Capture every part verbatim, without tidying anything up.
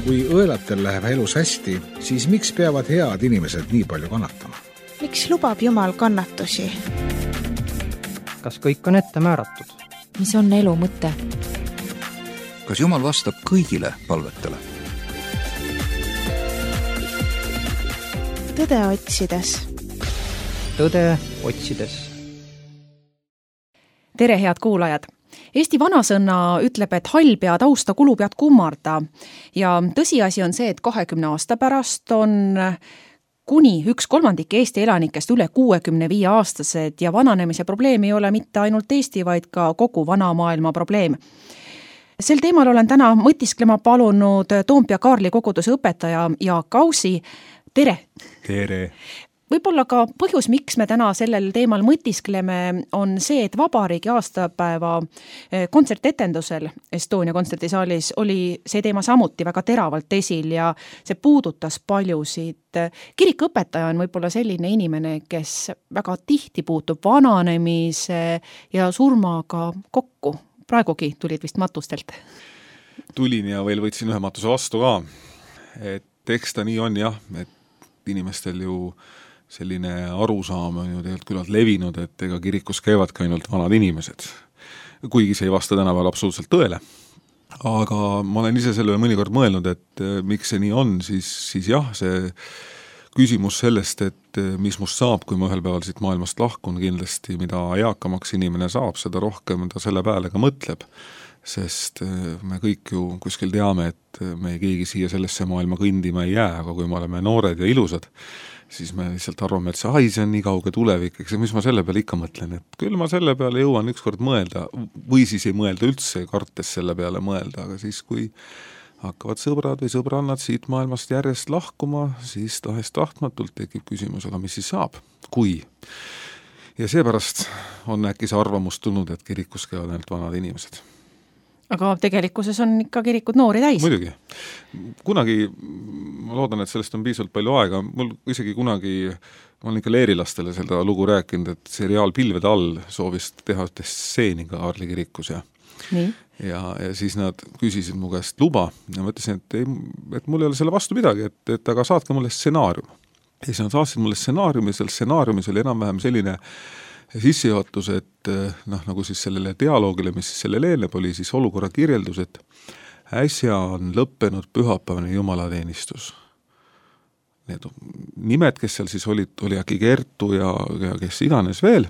Kui õelatel läheb elus hästi, siis miks peavad head inimesed nii palju kannatama? Miks lubab Jumal kannatusi? Kas kõik on ette määratud? Mis on elu mõte? Kas Jumal vastab kõigile palvetele? Tõde otsides. Tõde otsides. Tere, head kuulajad! Eesti vanasõna ütleb, et hall pead austa, kulu pead kummarda. Ja tõsiasi on see, et kahekümne aasta pärast on kuni üks kolmandik Eesti elanikest üle kuuekümne viie aastased ja vananemise probleem ei ole mitte ainult Eesti, vaid ka kogu vana maailma probleem. Sel teemal olen täna mõtisklema palunud Toompea Kaarli koguduse õpetaja Jaak Ausi. Tere! Tere! Võib-olla ka põhjus, miks me täna sellel teemal mõtiskleme, on see, et vabariigi aastapäeva kontsertetendusel Estonia kontserdisaalis oli see teema samuti väga teravalt esil ja see puudutas paljusid. Kirikuõpetaja on võib-olla selline inimene, kes väga tihti puutub vananemise ja surmaga kokku. Praegugi tulid vist matustelt. Tulin ja veel võtsin ühe matuse vastu ka. Et eks ta nii on jah, et inimestel ju selline arusaam on ju tegelikult küllalt levinud, et ega kirikus käivad ka ainult vanad inimesed. Kuigi see ei vasta tänapäeval absoluutselt tõele. Aga ma olen ise selle mõnikord mõelnud, et miks see nii on, siis, siis jah, see küsimus sellest, et mis must saab, kui ma ühel päeval siit maailmast lahkun, kindlasti mida eakamaks inimene saab, seda rohkem ta selle peale ka mõtleb. Sest me kõik ju kuskil teame, et me keegi siia sellesse maailma kõndima ei jää, aga kui me oleme noored ja ilusad, siis me lihtsalt arvame, et see, ai, see on nii kauge tulevik, eks mis ma selle peale ikka mõtlen, et küll ma selle peale jõuan ükskord mõelda, või siis ei mõelda üldse, kartes selle peale mõelda, aga siis kui hakkavad sõbrad või sõbrannad siit maailmast järjest lahkuma, siis tahest tahtmatult tekib küsimus, aga mis siis saab, kui? Ja seepärast on äkki see arvamus tulnud, et kirikus käivad ainult vanad inimesed. Aga tegelikkuses on ikka kirikud noori täis. Muidugi. Kunagi, ma loodan, et sellest on piisavalt palju aega, mul isegi kunagi, ma olen ikka leerilastele seda lugu rääkinud, et seriaal Pilvede all soovis teha ühte stseeni ka Kaarli kirikus ja, ja, ja siis nad küsisid mu käest luba ja ma ütlesin, et, ei, et mul ei ole selle vastu midagi, et, et aga saatke mulle stsenaarium. Ja siis nad saatsid mulle stsenaariumi, seal stsenaariumis oli enam-vähem selline sissejuhatus, et noh, nagu siis sellele dialoogile, mis siis selle leeneb, oli siis olukorra kirjeldus, et äsja on lõppenud pühapäevane jumalateenistus. Need nimed, kes seal siis olid, oli äkki Kertu ja, ja kes iganes veel,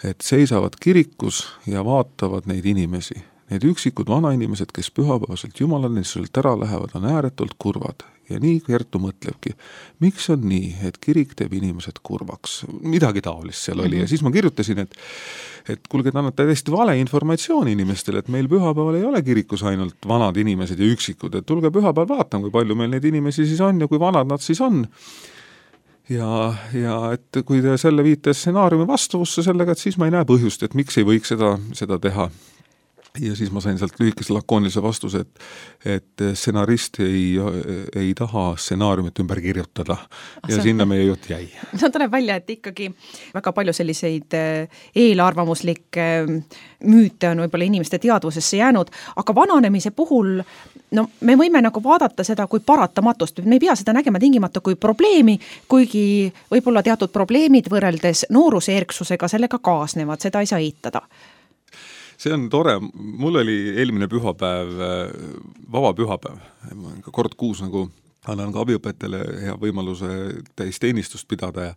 et seisavad kirikus ja vaatavad neid inimesi. Need üksikud vanainimesed, kes pühapäevaselt jumalateenistuselt ära lähevad, on ääretult kurvad. Ja nii Kertu mõtlebki, miks on nii, et kirik teeb inimesed kurvaks? Midagi taolist seal oli. Mm-hmm. Ja siis ma kirjutasin, et, et kuulge, te annate täiesti vale informatsiooni inimestele, et meil pühapäeval ei ole kirikus ainult vanad inimesed ja üksikud, et tulge pühapäeval vaatama, kui palju meil neid inimesi siis on ja kui vanad nad siis on. Ja, ja et kui te selle viite stsenaariumi vastavusse sellega, et siis ma ei näe põhjust, et miks ei võiks seda, seda teha. Ja siis ma sain sealt lühikese lakoonilise vastuse, et, et stsenarist ei, ei taha stsenaariumit ümber kirjutada ja see, sinna meie jutt jäi. No tuleb välja, et ikkagi väga palju selliseid eelarvamuslikke müüte on võib-olla inimeste teadvusesse jäänud, aga vananemise puhul no, me võime nagu vaadata seda kui paratamatust, me ei pea seda nägema tingimata kui probleemi, kuigi võib-olla teatud probleemid võrreldes nooruse erksusega sellega kaasnevad, seda ei saa eitada. See on tore, mul oli eelmine pühapäev, vaba pühapäev, kord kuus nagu annan ka abiõpetajale hea võimaluse täisteenistust pidada ja,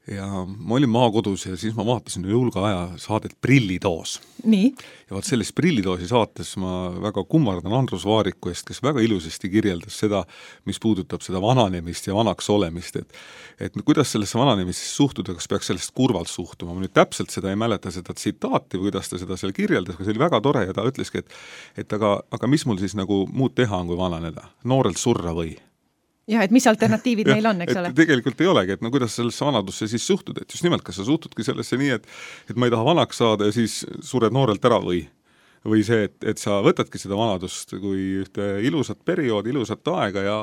ja ma olin maakodus ja siis ma vaatasin julga aja saadet Prillitoos. Nii? Ja vaat selles Prillitoosi saates ma väga kummardan Andrus Vaariku eest, kes väga ilusasti kirjeldas seda, mis puudutab seda vananemist ja vanaks olemist, et, et kuidas sellesse vananemist suhtuda, kas peaks sellest kurvalt suhtuma. Ma nüüd täpselt seda ei mäleta seda tsitaati või kuidas ta seda seal kirjeldas, aga see oli väga tore ja ta ütleski, et, et aga, aga mis mul siis nagu muud teha on, kui vananeda? Noorelt surra või? Ja, et mis alternatiivid meil on, eks ole? Tegelikult ei olegi, et no kuidas sellesse vanadusse siis suhtud, et just nimelt, kas sa suhtudki sellesse nii, et, et ma ei taha vanaks saada ja siis sured noorelt ära või? Või see, et, et sa võtadki seda vanadust kui ühte ilusat perioodi, ilusat aega ja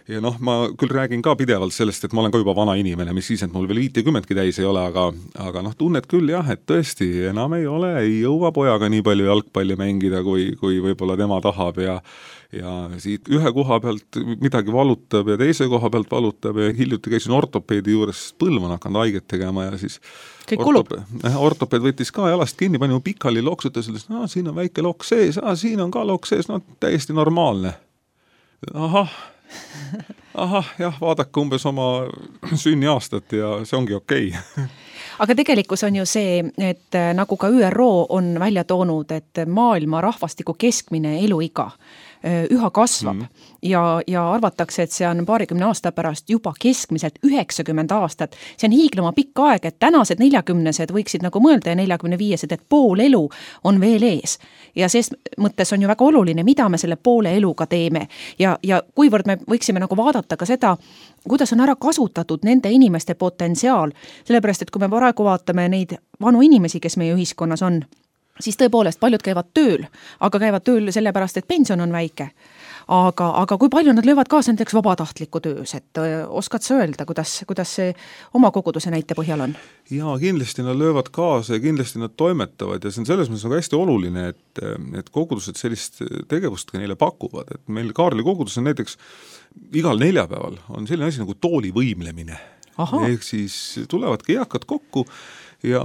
ja noh, ma küll räägin ka pidevalt sellest, et ma olen ka juba vana inimene, mis siis, et mul veel viitekümmetki täis ei ole, aga, aga noh, tunned küll jah, et tõesti enam ei ole, ei jõua pojaga nii palju jalgpalli mängida, kui, kui võib-olla tema tahab ja ja siit ühe koha pealt midagi valutab ja teise koha pealt valutab ja hiljuti käisin ortopeedi juures, põlv on hakanud haiget tegema ja siis kõik kulub. Ortopeed, ortopeed võttis ka jalast kinni, pani mu pikali loksutas, ütles, no siin on väike lok sees, ah, siin on ka lok sees, no täiesti normaalne. Ahah, ahah, jah, vaadake umbes oma sünniaastat ja see ongi okei. Aga tegelikkus on ju see, et nagu ka Ü R O on välja toonud, et maailma rahvastiku keskmine eluiga üha kasvab mm. ja, ja arvatakse, et see on paarikümne aasta pärast juba keskmiselt üheksakümmend aastat. See on hiiglama pikk aeg, et tänased neljakümnesed võiksid nagu mõelda ja neljakümne viiesed, et pool elu on veel ees. Ja ses mõttes on ju väga oluline, mida me selle poole eluga teeme ja, ja kuivõrd me võiksime nagu vaadata ka seda, kuidas on ära kasutatud nende inimeste potentsiaal, sellepärast, et kui me praegu vaatame neid vanu inimesi, kes meie ühiskonnas on, siis tõepoolest paljud käivad tööl, aga käivad tööl sellepärast, et pension on väike. Aga, aga kui palju nad löövad kaasa näiteks vabatahtliku töös, et oskad sa öelda, kuidas, kuidas see oma koguduse näite põhjal on? Jaa, kindlasti nad löövad kaasa ja kindlasti nad toimetavad ja see on selles mõttes hästi oluline, et, et kogudused sellist tegevust ka neile pakuvad, et meil Kaarli kogudus on näiteks igal neljapäeval on selline asi nagu tooli võimlemine. Aha. Ehk siis tulevadki eakad kokku ja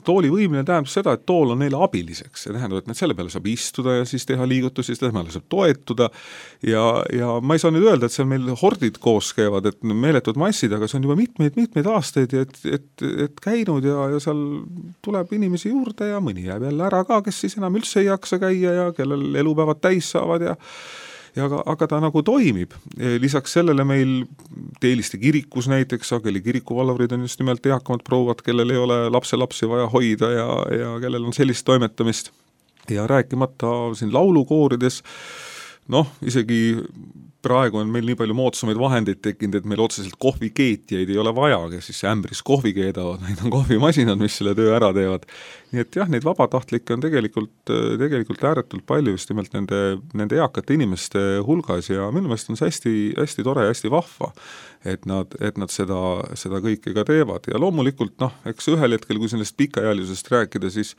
tooli võimine tähendab seda, et tool on neile abiliseks. See tähendab, et selle peale saab istuda ja siis teha liigutusi, siis peale saab toetuda ja, ja ma ei saa nüüd öelda, et seal meil hordid koos käivad, et meeletud massid, aga see on juba mitmeid, mitmeid aastaid, et, et, et käinud ja, ja seal tuleb inimesi juurde ja mõni jääb jälle ära ka, kes siis enam üldse ei jaksa käia ja kellel elupäevad täis saavad ja ja aga, aga ta nagu toimib. Lisaks sellele meil Teeliste kirikus näiteks, sageli kirikuvalvurid on just nimelt eakamad prouvad, kellel ei ole lapselapsi vaja hoida ja, ja kellel on sellist toimetamist. Ja rääkimata siin laulukoorides, noh, isegi praegu on meil nii palju moodsamaid vahendeid tekkinud, et meil otseselt kohvikeetjaid ei ole vaja, kes siis ämbris kohvi keedavad, neid on kohvimasinad, mis selle töö ära teevad. Nii et jah, neid vabatahtlikke on tegelikult, tegelikult ääretult palju just nimelt nende, nende eakate inimeste hulgas ja minu meelest on see hästi, hästi tore ja hästi vahva, et nad, et nad seda, seda kõike ka teevad. Ja loomulikult, noh, eks ühel hetkel, kui sellest pikaealisest rääkida, siis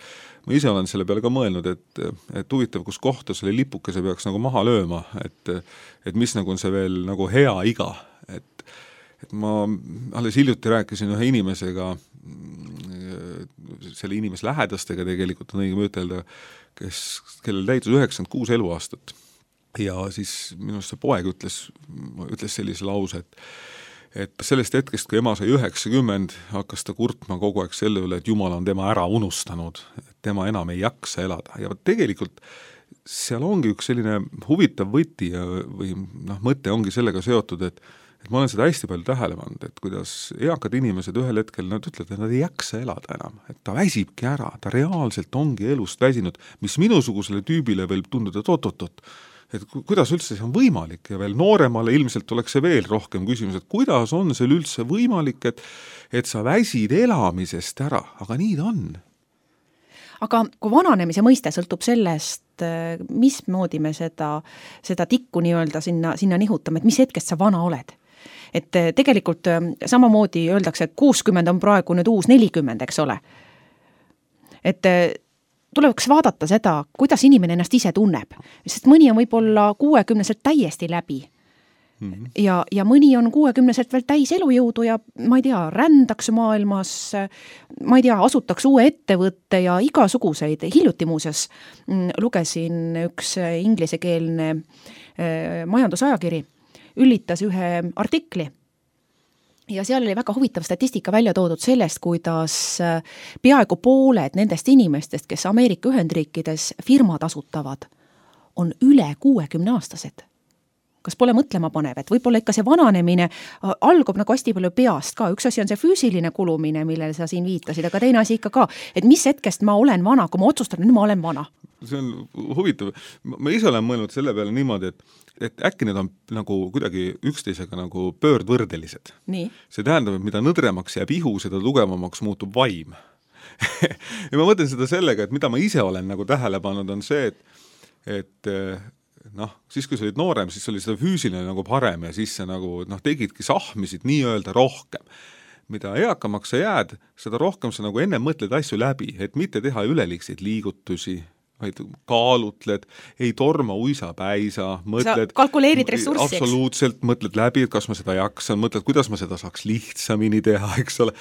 ma ise olen selle peale ka mõelnud, et, et huvitav, kus kohta selle lipukese peaks nagu maha lööma, et, et mis nagu on see veel nagu hea iga, et, et ma alles hiljuti rääkisin ühe inimesega, selle inimes lähedastega tegelikult on õigem ütelda, kes, kellel täitus üheksakümmend kuus eluaastat ja siis minu see poeg ütles, ütles sellise lause, et et sellest hetkest, kui ema sai üheksakümmend, hakkas ta kurtma kogu aeg selle üle, et Jumal on tema ära unustanud, et tema enam ei jaksa elada ja tegelikult seal ongi üks selline huvitav võti ja, või noh, mõte ongi sellega seotud, et, et ma olen seda hästi palju tähele pannud, et kuidas eakad inimesed ühel hetkel, nad ütlevad, et nad ei jaksa elada enam, et ta väsibki ära, ta reaalselt ongi elust väsinud, mis minusugusele tüübile võib tunduda, et oot-oot-oot, et kuidas üldse see on võimalik ja veel nooremale ilmselt oleks see veel rohkem küsimus, et kuidas on see üldse võimalik, et, et sa väsid elamisest ära, aga nii ta on. Aga kui vananemise mõiste sõltub sellest, mismoodi me seda, seda tikku nii-öelda sinna, sinna nihutame, et mis hetkest sa vana oled. Et tegelikult samamoodi öeldakse, et kuuskümmend on praegu nüüd uus nelikümmend, eks ole. Et tuleks vaadata seda, kuidas inimene ennast ise tunneb, sest mõni on võib-olla kuuekümneselt täiesti läbi mm-hmm. ja, ja mõni on kuuekümneselt veel täis elujõudu ja ma ei tea, rändaks maailmas, ma ei tea, asutaks uue ettevõtte ja igasuguseid. Hiljuti muuseas lugesin üks inglisekeelne majandusajakiri, üllitas ühe artikli, ja seal oli väga huvitav statistika välja toodud sellest, kuidas peaaegu pooled nendest inimestest, kes Ameerika Ühendriikides firmad asutavad, on üle kuuekümne aastased. Kas pole mõtlema panev, et võib-olla ikka see vananemine algab nagu hästi palju peast ka. Üks asi on see füüsiline kulumine, millele sa siin viitasid, aga teine asi ikka ka, et mis hetkest ma olen vana, kui ma otsustan, nüüd ma olen vana. See on huvitav. Ma ise olen mõelnud selle peale niimoodi, et et äkki need on nagu kuidagi üksteisega nagu pöördvõrdelised. Nii. See tähendab, et mida nõdremaks jääb ihu, seda tugevamaks muutub vaim. ja ma mõtlen seda sellega, et mida ma ise olen nagu tähele pannud, on see, et, et noh, siis kui sa olid noorem, siis oli seda füüsiline nagu parem ja siis sa nagu, noh, tegidki sahmisid nii-öelda rohkem. Mida eakamaks sa jääd, seda rohkem sa nagu enne mõtled asju läbi, et mitte teha üleliigseid liigutusi, vaid kaalutled, ei torma uisa päisa, mõtled... Sa kalkuleerid ressurssi, eks? Absoluutselt, mõtled läbi, et kas ma seda jaksan, mõtled, kuidas ma seda saaks lihtsamini teha, eks ole.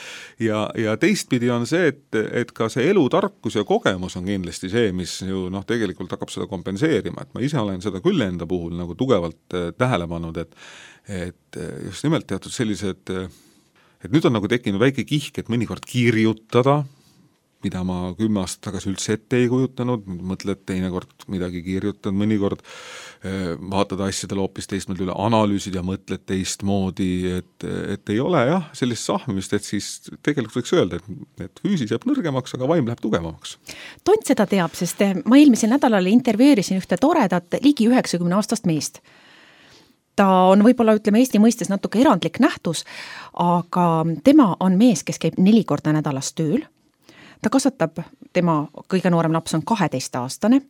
Ja, ja teistpidi on see, et, et ka see elutarkus ja kogemus on kindlasti see, mis ju noh, tegelikult hakkab seda kompenseerima, et ma ise olen seda küll enda puhul nagu tugevalt tähele pannud, et, et just nimelt teatud sellised, et nüüd on nagu tekkinud väike kihk, et mõnikord kirjutada, mida ma kümme aastat tagasi üldse ette ei kujutanud, mõtled teinekord midagi kirjutanud, mõnikord vaatad asjadele hoopis teistmoodi üle, analüüsid ja mõtled teistmoodi, et, et ei ole jah, sellist sahmimist, et siis tegelikult võiks öelda, et, et füüsis jääb nõrgemaks, aga vaim läheb tugevamaks. Tont seda teab, sest ma eelmisel nädalal intervjueerisin ühte toredat ligi üheksakümne aastast meest. Ta on võib-olla, ütleme, Eesti mõistes natuke erandlik nähtus, aga tema on mees, kes käib neli korda nädalas tööl. Ta kasvatab, tema kõige noorem laps on kaheteist aastane.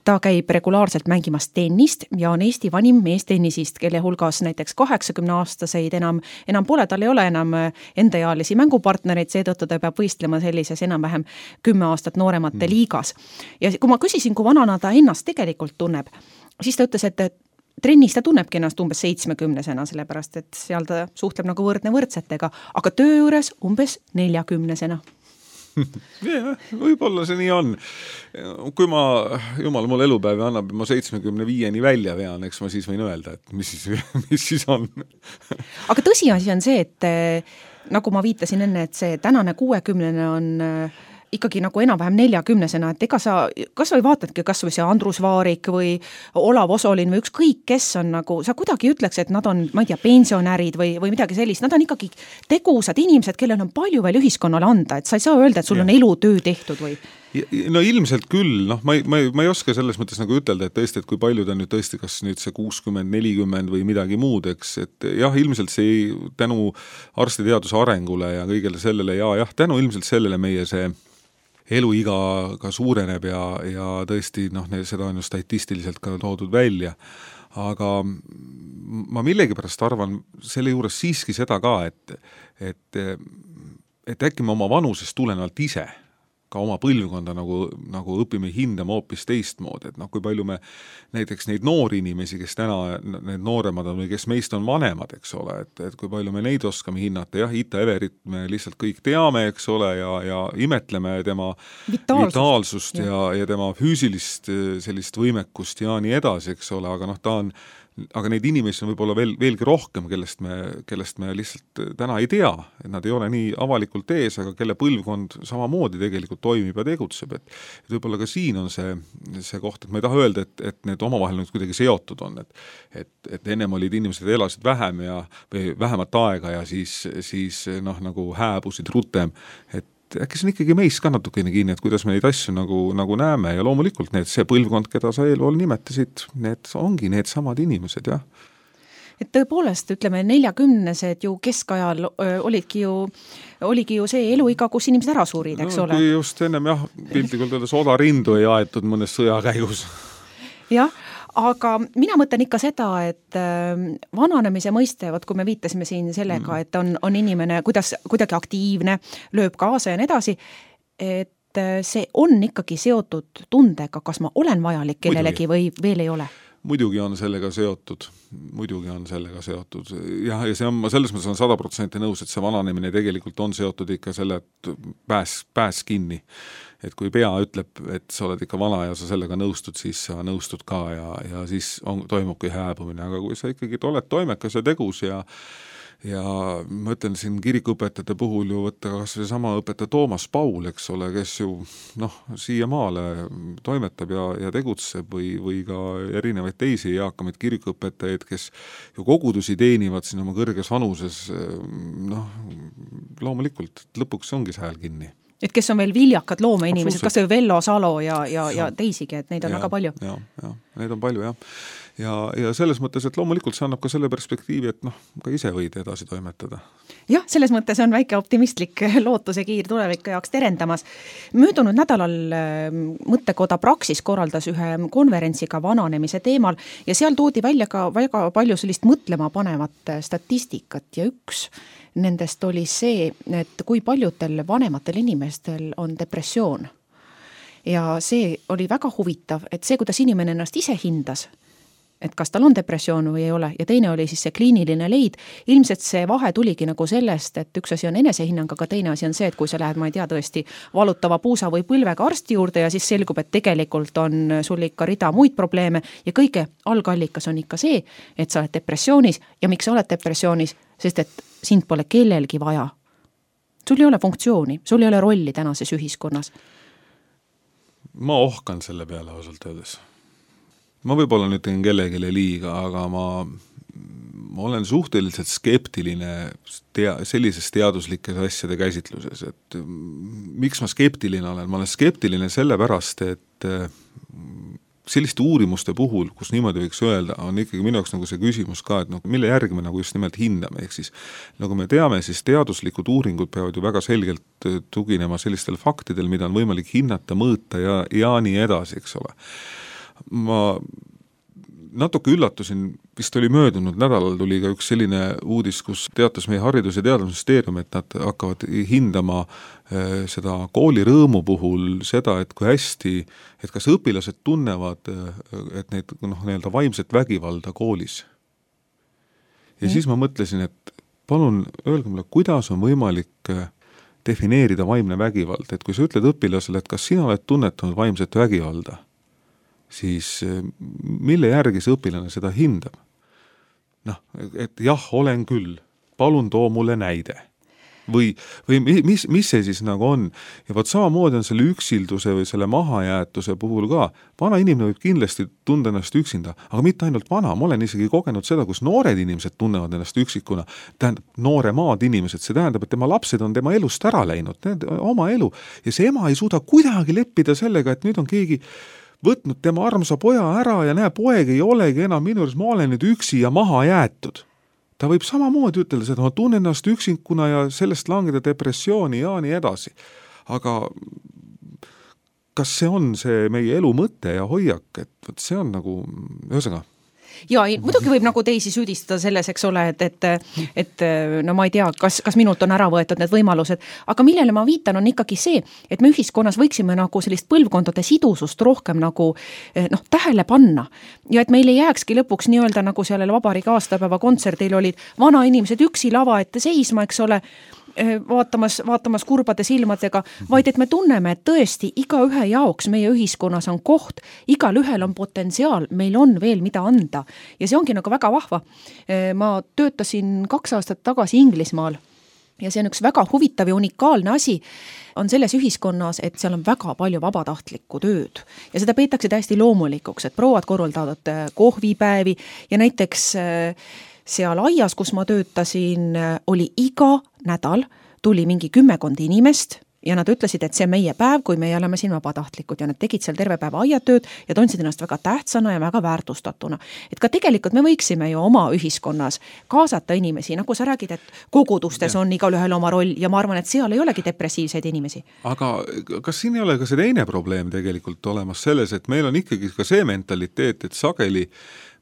Ta käib regulaarselt mängimas tennist ja on Eesti vanim mees tennisist, kelle hulgas näiteks kaheksakümne aastaseid enam, enam pole, tal ei ole enam endaealisi mängupartnereid, seetõttu ta peab võistlema sellises enam-vähem kümme aastat nooremate liigas. Ja kui ma küsisin, kui vanana ta ennast tegelikult tunneb, siis ta ütles, et trennis ta tunnebki ennast umbes seitsmekümnesena, sellepärast et seal ta suhtleb nagu võrdne võrdsetega, aga töö juures umbes neljakümnesena. Ja, võib-olla see nii on. Kui ma, jumal mul elupäevi annab, ma seitsmekümne viieni välja vean, eks ma siis võin öelda, et mis siis, mis siis on. Aga tõsiasi on see, et nagu ma viitasin enne, et see tänane kuuekümnene on ikkagi nagu enam-vähem neljakümnesena, et ega sa, kas või vaatadki kas või see Andrus Vaarik või Olav Osolin või ükskõik, kes on nagu, sa kuidagi ütleks, et nad on, ma ei tea, pensionärid või, või midagi sellist, nad on ikkagi tegusad inimesed, kellel on palju veel ühiskonnale anda, et sa ei saa öelda, et sul ja. On elutöö tehtud või? No ilmselt küll, noh, ma ei, ma, ei, ma ei oska selles mõttes nagu ütelda, et tõesti, et kui palju ta nüüd tõesti, kas nüüd see kuuskümmend, nelikümmend või midagi muud, eks, et jah, ilmselt see tänu arstiteaduse arengule ja kõigele sellele ja jah, tänu ilmselt sellele meie see eluiga ka suureneb ja, ja tõesti, noh, seda on ju statistiliselt ka toodud välja, aga ma millegipärast arvan selle juures siiski seda ka, et, et, et äkki me oma vanusest tulenevalt ise ka oma põlvkonda nagu, nagu õpime hindama hoopis teistmoodi, et noh, kui palju me näiteks neid noori inimesi, kes täna need nooremad on või kes meist on vanemad, eks ole, et, et kui palju me neid oskame hinnata, jah, Ita Everit me lihtsalt kõik teame, eks ole, ja, ja imetleme tema vitaalsust, vitaalsust ja, ja, ja tema füüsilist sellist võimekust ja nii edasi, eks ole, aga noh, ta on aga neid inimesi on võib-olla veel, veelgi rohkem, kellest me, kellest me lihtsalt täna ei tea, et nad ei ole nii avalikult ees, aga kelle põlvkond samamoodi tegelikult toimib ja tegutseb, et, et võib-olla ka siin on see, see koht, et ma ei taha öelda, et, et need omavahel nüüd kuidagi seotud on, et, et, et ennem olid inimesed elasid vähem ja, või vähemat aega ja siis, siis noh, nagu hääbusid rutem, et äkki see on ikkagi meist ka natukene kinni, et kuidas me neid asju nagu, nagu näeme ja loomulikult need, see põlvkond, keda sa eelpool nimetasid, need ongi need samad inimesed, jah. Et tõepoolest, ütleme, neljakümnesed ju keskajal öö, olidki ju, oligi ju see eluiga, kus inimesed ära suurid, eks no, ole. Kui just ennem jah, piltlikult öeldes odarindu ei aetud mõnes sõjakäigus. Jah, aga mina mõtlen ikka seda, et vananemise mõiste, võt kui me viitasime siin sellega, et on, on inimene kuidas, kuidagi aktiivne, lööb kaasa ja nii edasi, et see on ikkagi seotud tundega, kas ma olen vajalik kellelegi või veel ei ole. Muidugi on sellega seotud, muidugi on sellega seotud. Ja, ja see on, ma selles mõttes on sada protsenti nõus, et see vananemine tegelikult on seotud ikka selle, et pääs, pääs kinni. Et kui pea ütleb, et sa oled ikka vana ja sa sellega nõustud, siis sa nõustud ka ja, ja siis on, toimubki hääbumine. Aga kui sa ikkagi oled toimekas ja tegus ja, ja ma ütlen siin kirikuõpetajate puhul ju võtta kas või sama õpetaja Toomas Paul, eks ole, kes ju noh, siia maale toimetab ja, ja tegutseb või, või ka erinevaid teisi eakamaid kirikuõpetajaid, kes ju kogudusi teenivad siin oma kõrges vanuses, noh, loomulikult lõpuks ongi see hääl kinni. Et kes on veel viljakad loomeinimesed, kas see Vello Salo ja, ja, ja teisigi, et neid on ja, väga palju. Ja, ja. neid on palju, jah. Ja, ja selles mõttes, et loomulikult see annab ka selle perspektiivi, et noh, ka ise võid edasi toimetada. Jah, selles mõttes on väike optimistlik lootuse kiir tuleviku jaoks terendamas. Möödunud nädalal mõttekoda Praxis korraldas ühe konverentsiga vananemise teemal ja seal toodi välja ka väga palju sellist mõtlema panevat statistikat ja üks nendest oli see, et kui paljudel vanematel inimestel on depressioon. Ja see oli väga huvitav, et see, kuidas inimene ennast ise hindas, et kas tal on depressioon või ei ole, ja teine oli siis see kliiniline leid. Ilmselt see vahe tuligi nagu sellest, et üks asi on enesehinnang, aga teine asi on see, et kui sa lähed, ma ei tea, tõesti valutava puusa või põlvega arsti juurde ja siis selgub, et tegelikult on sul ikka rida muid probleeme ja kõige algallikas on ikka see, et sa oled depressioonis ja miks sa oled depressioonis, sest et sind pole kellelgi vaja. Sul ei ole funktsiooni, sul ei ole rolli tänases ühiskonnas. Ma ohkan selle peale ausalt öeldes. Ma võib-olla nüüd tegin kellelegi liiga, aga ma, ma olen suhteliselt skeptiline tea, sellises teaduslikes asjade käsitluses, et miks ma skeptiline olen? Ma olen skeptiline sellepärast, et selliste uurimuste puhul, kus niimoodi võiks öelda, on ikkagi minu jaoks nagu see küsimus ka, et no, mille järgi me nagu just nimelt hindame, ehk siis nagu me teame, siis teaduslikud uuringud peavad ju väga selgelt tuginema sellistel faktidel, mida on võimalik hinnata, mõõta ja, ja nii edasi, eks ole. Ma natuke üllatusin, vist oli möödunud nädalal tuli ka üks selline uudis, kus teatas meie haridus- ja teadusministeerium, et nad hakkavad hindama äh, seda kooli rõõmu puhul seda, et kui hästi, et kas õpilased tunnevad, et neid noh, nii-öelda vaimset vägivalda koolis. Ja mm. siis ma mõtlesin, et palun öelge mulle, kuidas on võimalik defineerida vaimne vägivald, et kui sa ütled õpilasele, et kas sina oled tunnetanud vaimset vägivalda, siis mille järgi see õpilane seda hindab? Noh, et jah, olen küll, palun too mulle näide. Või, või mis, mis see siis nagu on? Ja võt samamoodi on selle üksilduse või selle mahajäetuse puhul ka. Vana inimene võib kindlasti tunda ennast üksinda, aga mitte ainult vana. Ma olen isegi kogenud seda, kus noored inimesed tunnevad ennast üksikuna. Tähendab, noore maad inimesed, see tähendab, et tema lapsed on tema elust ära läinud, oma elu. Ja see ema ei suuda kuidagi leppida sellega, et nüüd on keegi võtnud tema armsa poja ära ja näe, poeg ei olegi enam minu juures, ma olen nüüd üksi ja maha jäetud. Ta võib samamoodi ütelda seda, ma tunnen ennast üksinkuna ja sellest langeda depressiooni ja nii edasi. Aga kas see on see meie elu mõte ja hoiak, et see on nagu, ühesõnaga, ja muidugi võib nagu teisi süüdistada selles, eks ole, et, et, et no ma ei tea, kas, kas minult on ära võetud need võimalused, aga millele ma viitan on ikkagi see, et me ühiskonnas võiksime nagu sellist põlvkondade sidusust rohkem nagu noh, tähele panna ja et meil ei jääkski lõpuks nii-öelda nagu sellel vabariigi aastapäeva kontserdil olid vana inimesed üksi lava ette seisma, eks ole, vaatamas, vaatamas kurbade silmadega, vaid et me tunneme, et tõesti iga ühe jaoks meie ühiskonnas on koht, igal ühel on potentsiaal, meil on veel mida anda ja see ongi nagu väga vahva. Ma töötasin kaks aastat tagasi Inglismaal ja see on üks väga huvitav ja unikaalne asi on selles ühiskonnas, et seal on väga palju vabatahtlikku tööd ja seda peetakse täiesti loomulikuks, et prouad korraldavad kohvipäevi ja näiteks seal aias, kus ma töötasin, oli iga nädal, tuli mingi kümmekond inimest ja nad ütlesid, et see on meie päev, kui meie oleme siin vabatahtlikud ja nad tegid seal terve päeva aiatööd ja tundsid ennast väga tähtsana ja väga väärtustatuna. Et ka tegelikult me võiksime ju oma ühiskonnas kaasata inimesi, nagu sa räägid, et kogudustes ja. On igal ühel oma roll ja ma arvan, et seal ei olegi depressiivseid inimesi. Aga kas siin ei ole ka see teine probleem tegelikult olemas selles, et meil on ikkagi ka see mentaliteet, et sageli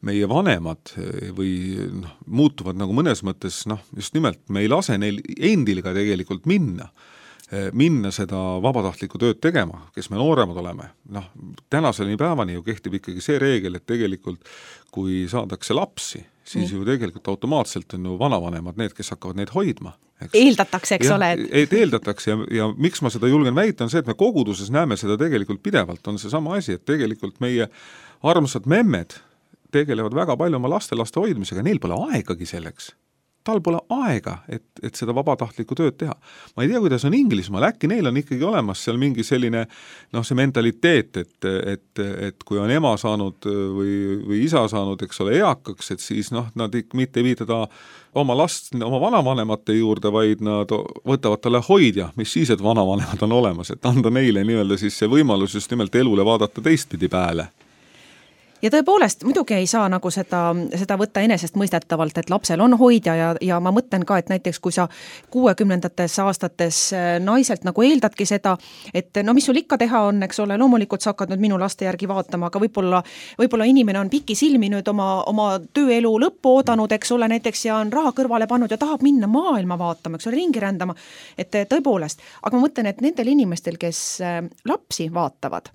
meie vanemad või noh, muutuvad nagu mõnes mõttes, noh, just nimelt me ei lase neil endil ka tegelikult minna, minna seda vabatahtlikku tööd tegema, kes me nooremad oleme. Noh, tänaseni päevani ju kehtib ikkagi see reegel, et tegelikult kui saadakse lapsi, siis mm. ju tegelikult automaatselt on ju vanavanemad need, kes hakkavad neid hoidma. Eks? Eeldatakse, eks ja, ole. Et eeldatakse ja, ja miks ma seda julgen väita on see, et me koguduses näeme seda tegelikult pidevalt, on see sama asi, et tegelikult meie armsad memmed tegelevad väga palju oma laste-laste hoidmisega, neil pole aegagi selleks. Tal pole aega, et, et seda vabatahtlikku tööd teha. Ma ei tea, kuidas on Inglismaal, äkki neil on ikkagi olemas seal mingi selline, noh, see mentaliteet, et, et, et kui on ema saanud või, või isa saanud, eks ole, eakaks, et siis noh, nad mitte ei viidada oma last, oma vanavanemate juurde, vaid nad võtavad talle hoidja, mis siis, et vanavanemad on olemas, et anda neile nii-öelda siis see võimalus just nimelt elule vaadata teistpidi pääle. ja tõepoolest, muidugi ei saa nagu seda, seda võtta enesest mõistetavalt, et lapsel on hoidja ja, ja ma mõtlen ka, et näiteks kui sa kuuekümnendates aastates naiselt nagu eeldadki seda, et no mis sul ikka teha on, eks ole, loomulikult sa hakkad nüüd minu laste järgi vaatama, aga võib-olla, võib-olla inimene on piki silmi nüüd oma, oma tööelu lõppu oodanud, eks ole, näiteks ja on raha kõrvale pannud ja tahab minna maailma vaatama, eks ole, ringi rändama, et tõepoolest, aga ma mõtlen, et nendel inimestel, kes lapsi vaatavad,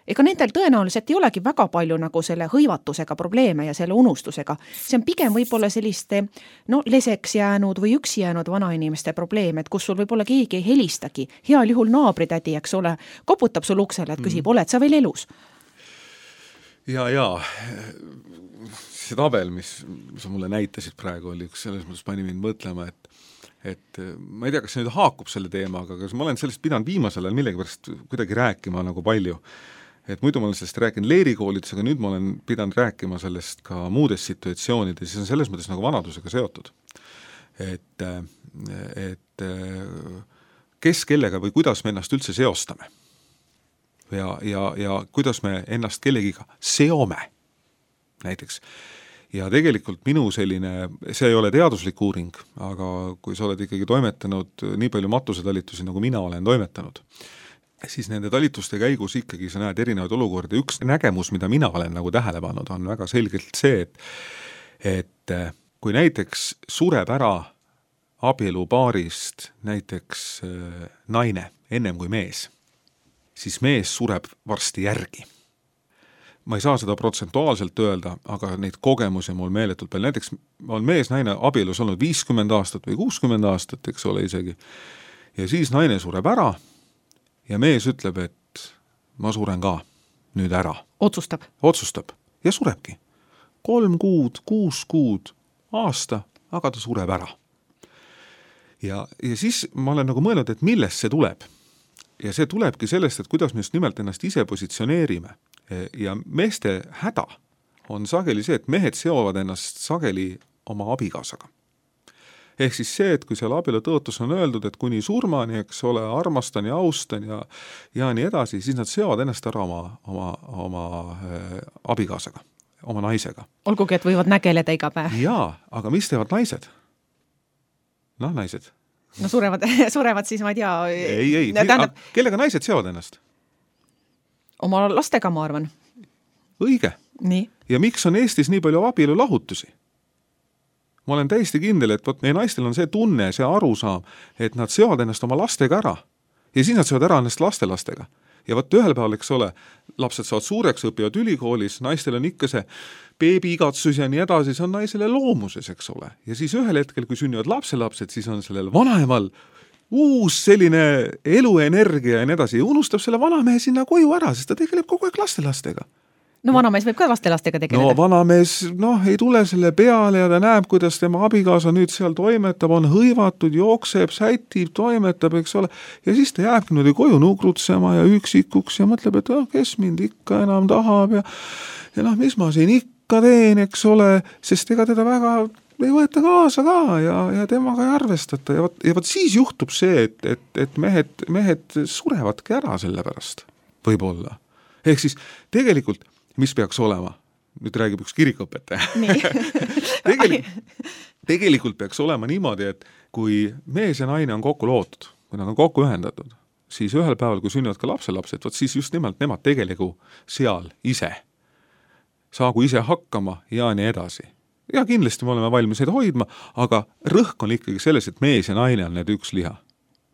ega nendel tõenäoliselt ei olegi väga palju nagu selle hõivatusega probleeme ja selle unustusega. See on pigem võib-olla selliste no, leseks jäänud või üksi jäänud vanainimeste probleem, et kus sul võib-olla keegi ei helistagi. Heal juhul naabritädi, eks ole, koputab sul uksele, et küsib, oled sa veel elus? Ja, ja see tabel, mis sa mulle näitasid praegu, oli üks selles mõttes pani mind mõtlema, et et ma ei tea, kas see nüüd haakub selle teemaga, aga ma olen sellest pidanud viimasel ajal millegipärast kuidagi rääkima nagu palju. Et muidu ma olen sellest rääkinud leerikoolides, aga nüüd ma olen pidanud rääkima sellest ka muudes situatsioonides, see on selles mõttes nagu vanadusega seotud. Et, et kes kellega või kuidas me ennast üldse seostame ja, ja, ja kuidas me ennast kellegiga seome näiteks. Ja tegelikult minu selline, see ei ole teaduslik uuring, aga kui sa oled ikkagi toimetanud nii palju matusetalitusi, nagu mina olen toimetanud, siis nende talituste käigus ikkagi sa näed erinevaid olukordi. Üks nägemus, mida mina olen nagu tähele pannud, on väga selgelt see, et, et kui näiteks sureb ära abielupaarist näiteks naine ennem kui mees, siis mees sureb varsti järgi. Ma ei saa seda protsentuaalselt öelda, aga neid kogemusi mul meeletult palju. Näiteks on mees naine abielus olnud viiskümmend aastat või kuuskümmend aastat, eks ole isegi. Ja siis naine sureb ära ja mees ütleb, et ma suren ka nüüd ära. Otsustab. Otsustab ja surebki. Kolm kuud, kuus kuud, aasta, aga ta sureb ära. Ja, ja siis ma olen nagu mõelnud, et millest see tuleb. Ja see tulebki sellest, et kuidas me just nimelt ennast ise positsioneerime. Ja meeste häda on sageli see, et mehed seovad ennast sageli oma abikaasaga. Ehk siis see, et kui seal abielu tõotus on öeldud, et kuni surmani, eks ole, armastan ja austan ja, ja nii edasi, siis nad seovad ennast ära oma, oma, oma äh, abikaasaga, oma naisega. Olgugi, et võivad nägeleda iga päev. Jaa, aga mis teevad naised? Noh, naised. No surevad, surevad siis, ma ei tea. Ei, ei, tähendab... kellega naised seovad ennast? Oma lastega, ma arvan. Õige. Nii. Ja miks on Eestis nii palju abielu lahutusi? Ma olen täiesti kindel, et võt, meie naistel on see tunne, see arusaam, et nad seovad ennast oma lastega ära. Ja siis nad seovad ära ennast lastelastega. Ja võt ühel päeval, eks ole, lapsed saavad suureks, õpivad ülikoolis, naistel on ikka see beebi-igatsus ja nii edasi, see on naisele loomuses, eks ole. Ja siis ühel hetkel, kui sünnivad lapselapsed, siis on sellel vanaemal uus selline eluenergia ja nii edasi ja unustab selle vanamehe sinna koju ära, sest ta tegeleb kogu aeg lastelastega. No vanamees võib ka lastelastega tegeleda. No vanamees noh, ei tule selle peale ja ta näeb, kuidas tema abikaasa nüüd seal toimetab, on hõivatud, jookseb, sätib, toimetab, eks ole. Ja siis ta jääbki nüüd koju nugrutsema ja üksikuks ja mõtleb, et oh, kes mind ikka enam tahab ja, ja noh, mis ma siin ikka teen, eks ole, sest ega teda väga ei võeta kaasa ka ja, ja temaga ei arvestata ja võt, ja võt siis juhtub see, et, et, et mehed, mehed surevadki ära selle pärast, võib-olla. Ehk siis tegelikult mis peaks olema? Nüüd räägib üks kirikuõpetaja. tegelikult, tegelikult peaks olema niimoodi, et kui mees ja naine on kokku lootud, kui nad on kokku ühendatud, siis ühel päeval, kui sünnivad ka lapselapsed, võt siis just nimelt nemad tegeligu seal ise. Saagu ise hakkama ja nii edasi. Ja kindlasti me oleme valmis neid hoidma, aga rõhk on ikkagi selles, et mees ja naine on need üks liha.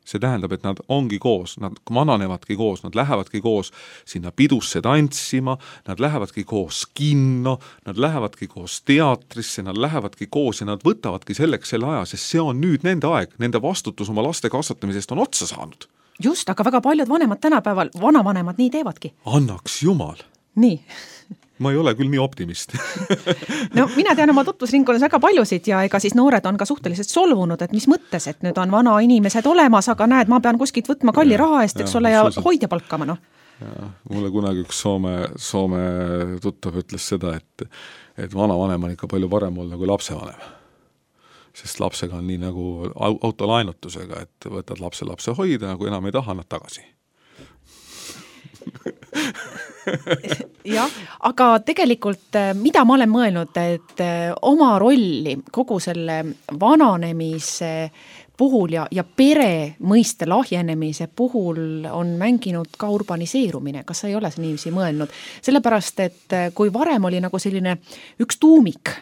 See tähendab, et nad ongi koos, nad mananevadki koos, nad lähevadki koos sinna pidusse tantsima, nad lähevadki koos kinno, nad lähevadki koos teatrisse, nad lähevadki koos ja nad võtavadki selleks selle aja, sest see on nüüd nende aeg, nende vastutus oma laste kasvatamisest on otsa saanud. Just, aga väga paljud vanemad tänapäeval, vanavanemad nii teevadki. Annaks jumal. Nii. Ma ei ole küll nii optimist. No mina tean oma tutvusringkonnas väga paljusid ja ega siis noored on ka suhteliselt solvunud, et mis mõttes, et nüüd on vana inimesed olemas, aga näed, ma pean kuskilt võtma kalli raha eest, eks ole, ja hoidja palkama, noh. Ja, mulle kunagi üks Soome, Soome tuttav ütles seda, et, et vanavanem on ikka palju parem olla kui lapsevanem. Sest lapsega on nii nagu autolainutusega, et võtad lapse lapse hoida, kui enam ei taha, nad tagasi. jah, aga tegelikult mida ma olen mõelnud, et oma rolli kogu selle vananemise puhul ja, ja pere mõiste lahjenemise puhul on mänginud ka urbaniseerumine. Kas sa ei ole niiviisi mõelnud? Sellepärast, et kui varem oli nagu selline üks tuumik,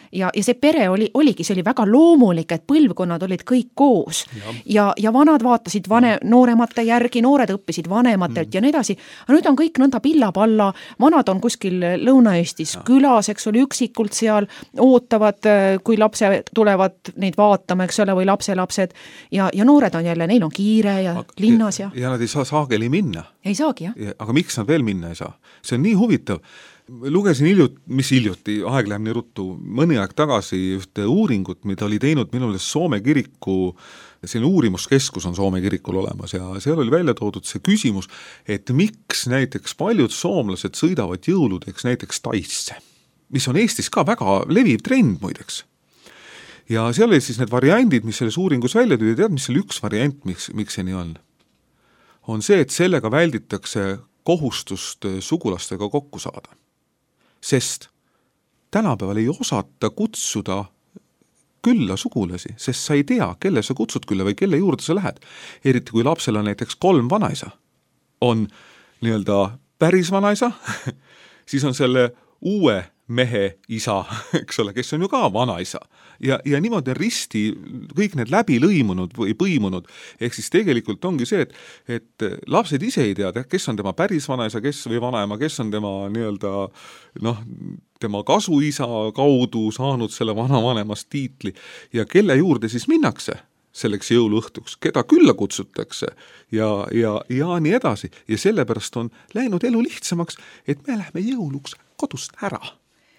Ja, ja see pere oli, oligi, see oli väga loomulik, et põlvkonnad olid kõik koos ja, ja, ja vanad vaatasid vane, nooremate järgi, noored õppisid vanematelt mm. ja nii edasi. Aga nüüd on kõik nõnda pilla-palla, vanad on kuskil Lõuna-Eestis ja. Külas, eks oli üksikult seal, ootavad, kui lapse tulevad neid vaatama, eks ole, või lapselapsed ja, ja noored on jälle, neil on kiire ja aga, linnas ja. Ja nad ei saa saageli minna. Ei saagi, jah. Aga miks nad veel minna ei saa? See on nii huvitav. Lugesin hiljut, mis hiljuti, aeg läheb nii ruttu, mõni aeg tagasi ühte uuringut, mida oli teinud minule Soome kiriku, selline uurimuskeskus on Soome kirikul olemas ja seal oli välja toodud see küsimus, et miks näiteks paljud soomlased sõidavad jõuludeks näiteks Taisse, mis on Eestis ka väga leviv trend muideks. Ja seal oli siis need variandid, mis selles uuringus välja tuli, tead, mis oli üks variant, miks, miks see nii on? On see, et sellega välditakse kohustust sugulastega kokku saada. Sest tänapäeval ei osata kutsuda külla sugulasi, sest sa ei tea, kelle sa kutsud külla või kelle juurde sa lähed. Eriti kui lapsel on näiteks kolm vanaisa, on nii-öelda päris vanaisa, siis on selle uue mehe isa, eks ole, kes on ju ka vanaisa. Ja, ja niimoodi on risti kõik need läbi lõimunud või põimunud. Ehk siis tegelikult ongi see, et, et lapsed ise ei tea, kes on tema päris vanaisa, kes või vanaema, kes on tema nii-öelda, noh, tema kasuisa kaudu saanud selle vanavanemast tiitli ja kelle juurde siis minnakse selleks jõuluõhtuks, keda külla kutsutakse ja, ja, ja nii edasi. Ja sellepärast on läinud elu lihtsamaks, et me lähme jõuluks kodust ära.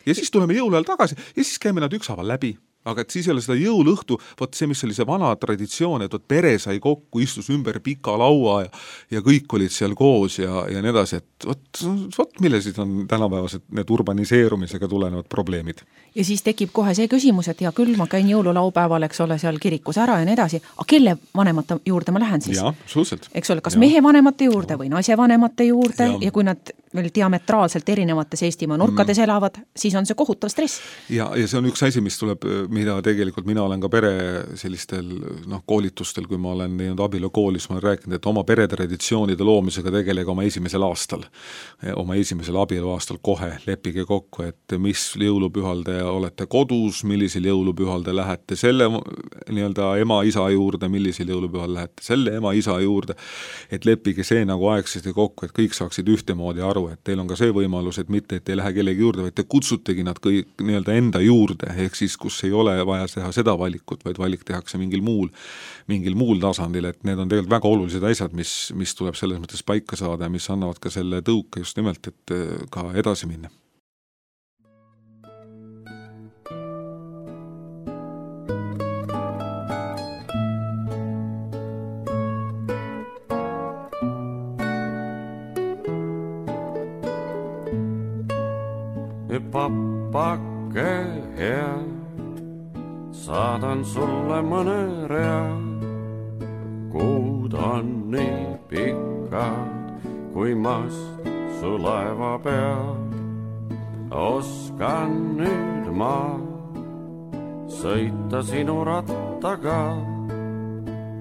Ja siis tuleme jõuluajal tagasi ja siis käime nad ükshaaval läbi. Aga et siis ei ole seda jõuluõhtu, võt see, mis oli see vana traditsioon, et võt pere sai kokku, istus ümber pika laua ja, ja kõik olid seal koos ja, ja nii edasi, et võt, võt millesid on tänapäevased need urbaniseerumisega tulenevad probleemid. Ja siis tekib kohe see küsimus, et ja küll ma käin jõululaupäeval, eks ole, seal kirikus ära ja nii edasi, aga kelle vanemate juurde ma lähen siis? Ja, absoluutselt. Eks ole, kas ja. Mehe vanemate juurde ja. Või naise vanemate juurde ja. Ja kui nad veel diametraalselt erinevates Eestimaa nurkades mm. elavad, siis on see kohutav stress. Ja, ja see on üks asi, mis tuleb, mida tegelikult mina olen ka pere sellistel noh, koolitustel, kui ma olen teinud abielukoolis, ma olen rääkinud, et oma peretraditsioonide loomisega tegelega oma esimesel aastal, oma esimesel abieluaastal kohe leppige kokku, et mis jõulupühal te olete kodus, millisel jõulupühal te lähete selle nii-öelda ema-isa juurde, millisel jõulupühal lähete selle ema-isa juurde, et leppige see nagu aegsasti kokku, et kõik saaksid ühtemoodi aru, et teil on ka see võimalus, et mitte, et ei lähe kellegi juurde, vaid te kutsutegi nad kõik nii-öelda enda juurde, ehk siis, kus ei ole vaja teha seda valikut, vaid valik tehakse mingil muul, mingil muul tasandil, et need on tegelikult väga olulised asjad, mis, mis tuleb selles mõttes paika saada ja mis annavad ka selle tõuke just nimelt, et ka edasi minna. Pappake hea, saadan sulle mõne rea. Kuud on nii pikad, kui mast su laeva peal. Oskan nüüd ma sõita sinu rattaga,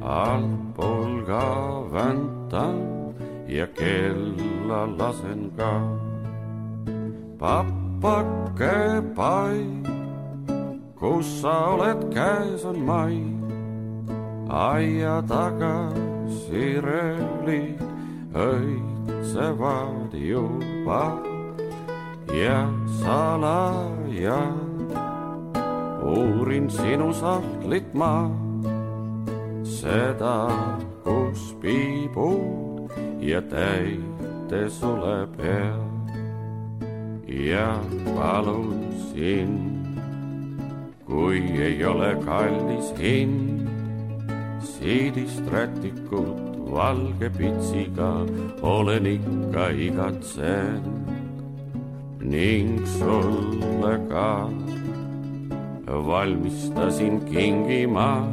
allpool ka väntan ja kella lasen ka. Pappake pai, kus sa oled, käes on mai. Aia taga sirelid õitsevad juba ja salaja uurin sinu sahtlit ma, seda, kus piibud ja täite sule peal. Ja palun sind, kui ei ole kallis hind, siidist rätikut valge pitsiga olen ikka igatsen ning sulle ka valmistasin kingima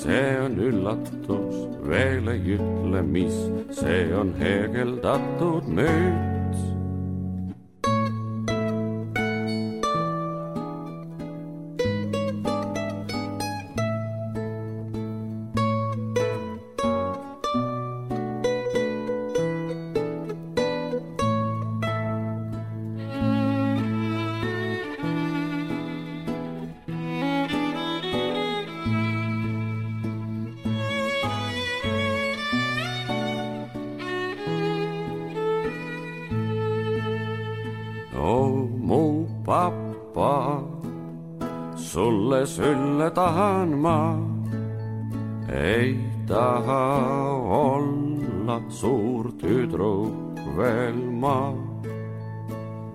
see on üllatus, veel ei ütle, mis, see on heegeldatud müüt. Sulle sülle tahan ma, ei taha olla suur tüdruk veel ma.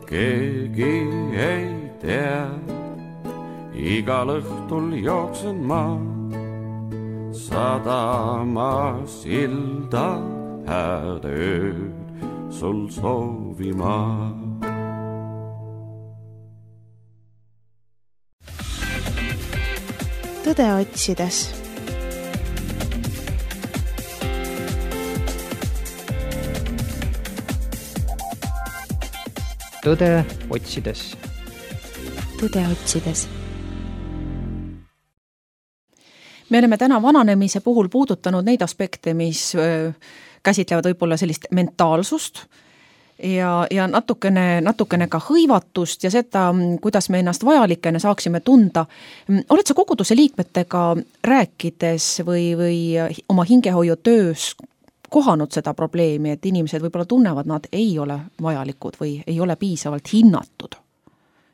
Keegi ei tea, igal õhtul jooksen ma sadamas ilda hääd ööd sul soovima. Tõde otsides. Tõde otsides. Tõde otsides. Me oleme täna vananemise puhul puudutanud neid aspekte, mis käsitlevad võib-olla sellist mentaalsust ja, ja natukene, natukene ka hõivatust ja seda, kuidas me ennast vajalikena saaksime tunda. Oled sa koguduse liikmetega rääkides või, või oma hingehoiu töös kohanud seda probleemi, et inimesed võib-olla tunnevad, nad ei ole vajalikud või ei ole piisavalt hinnatud?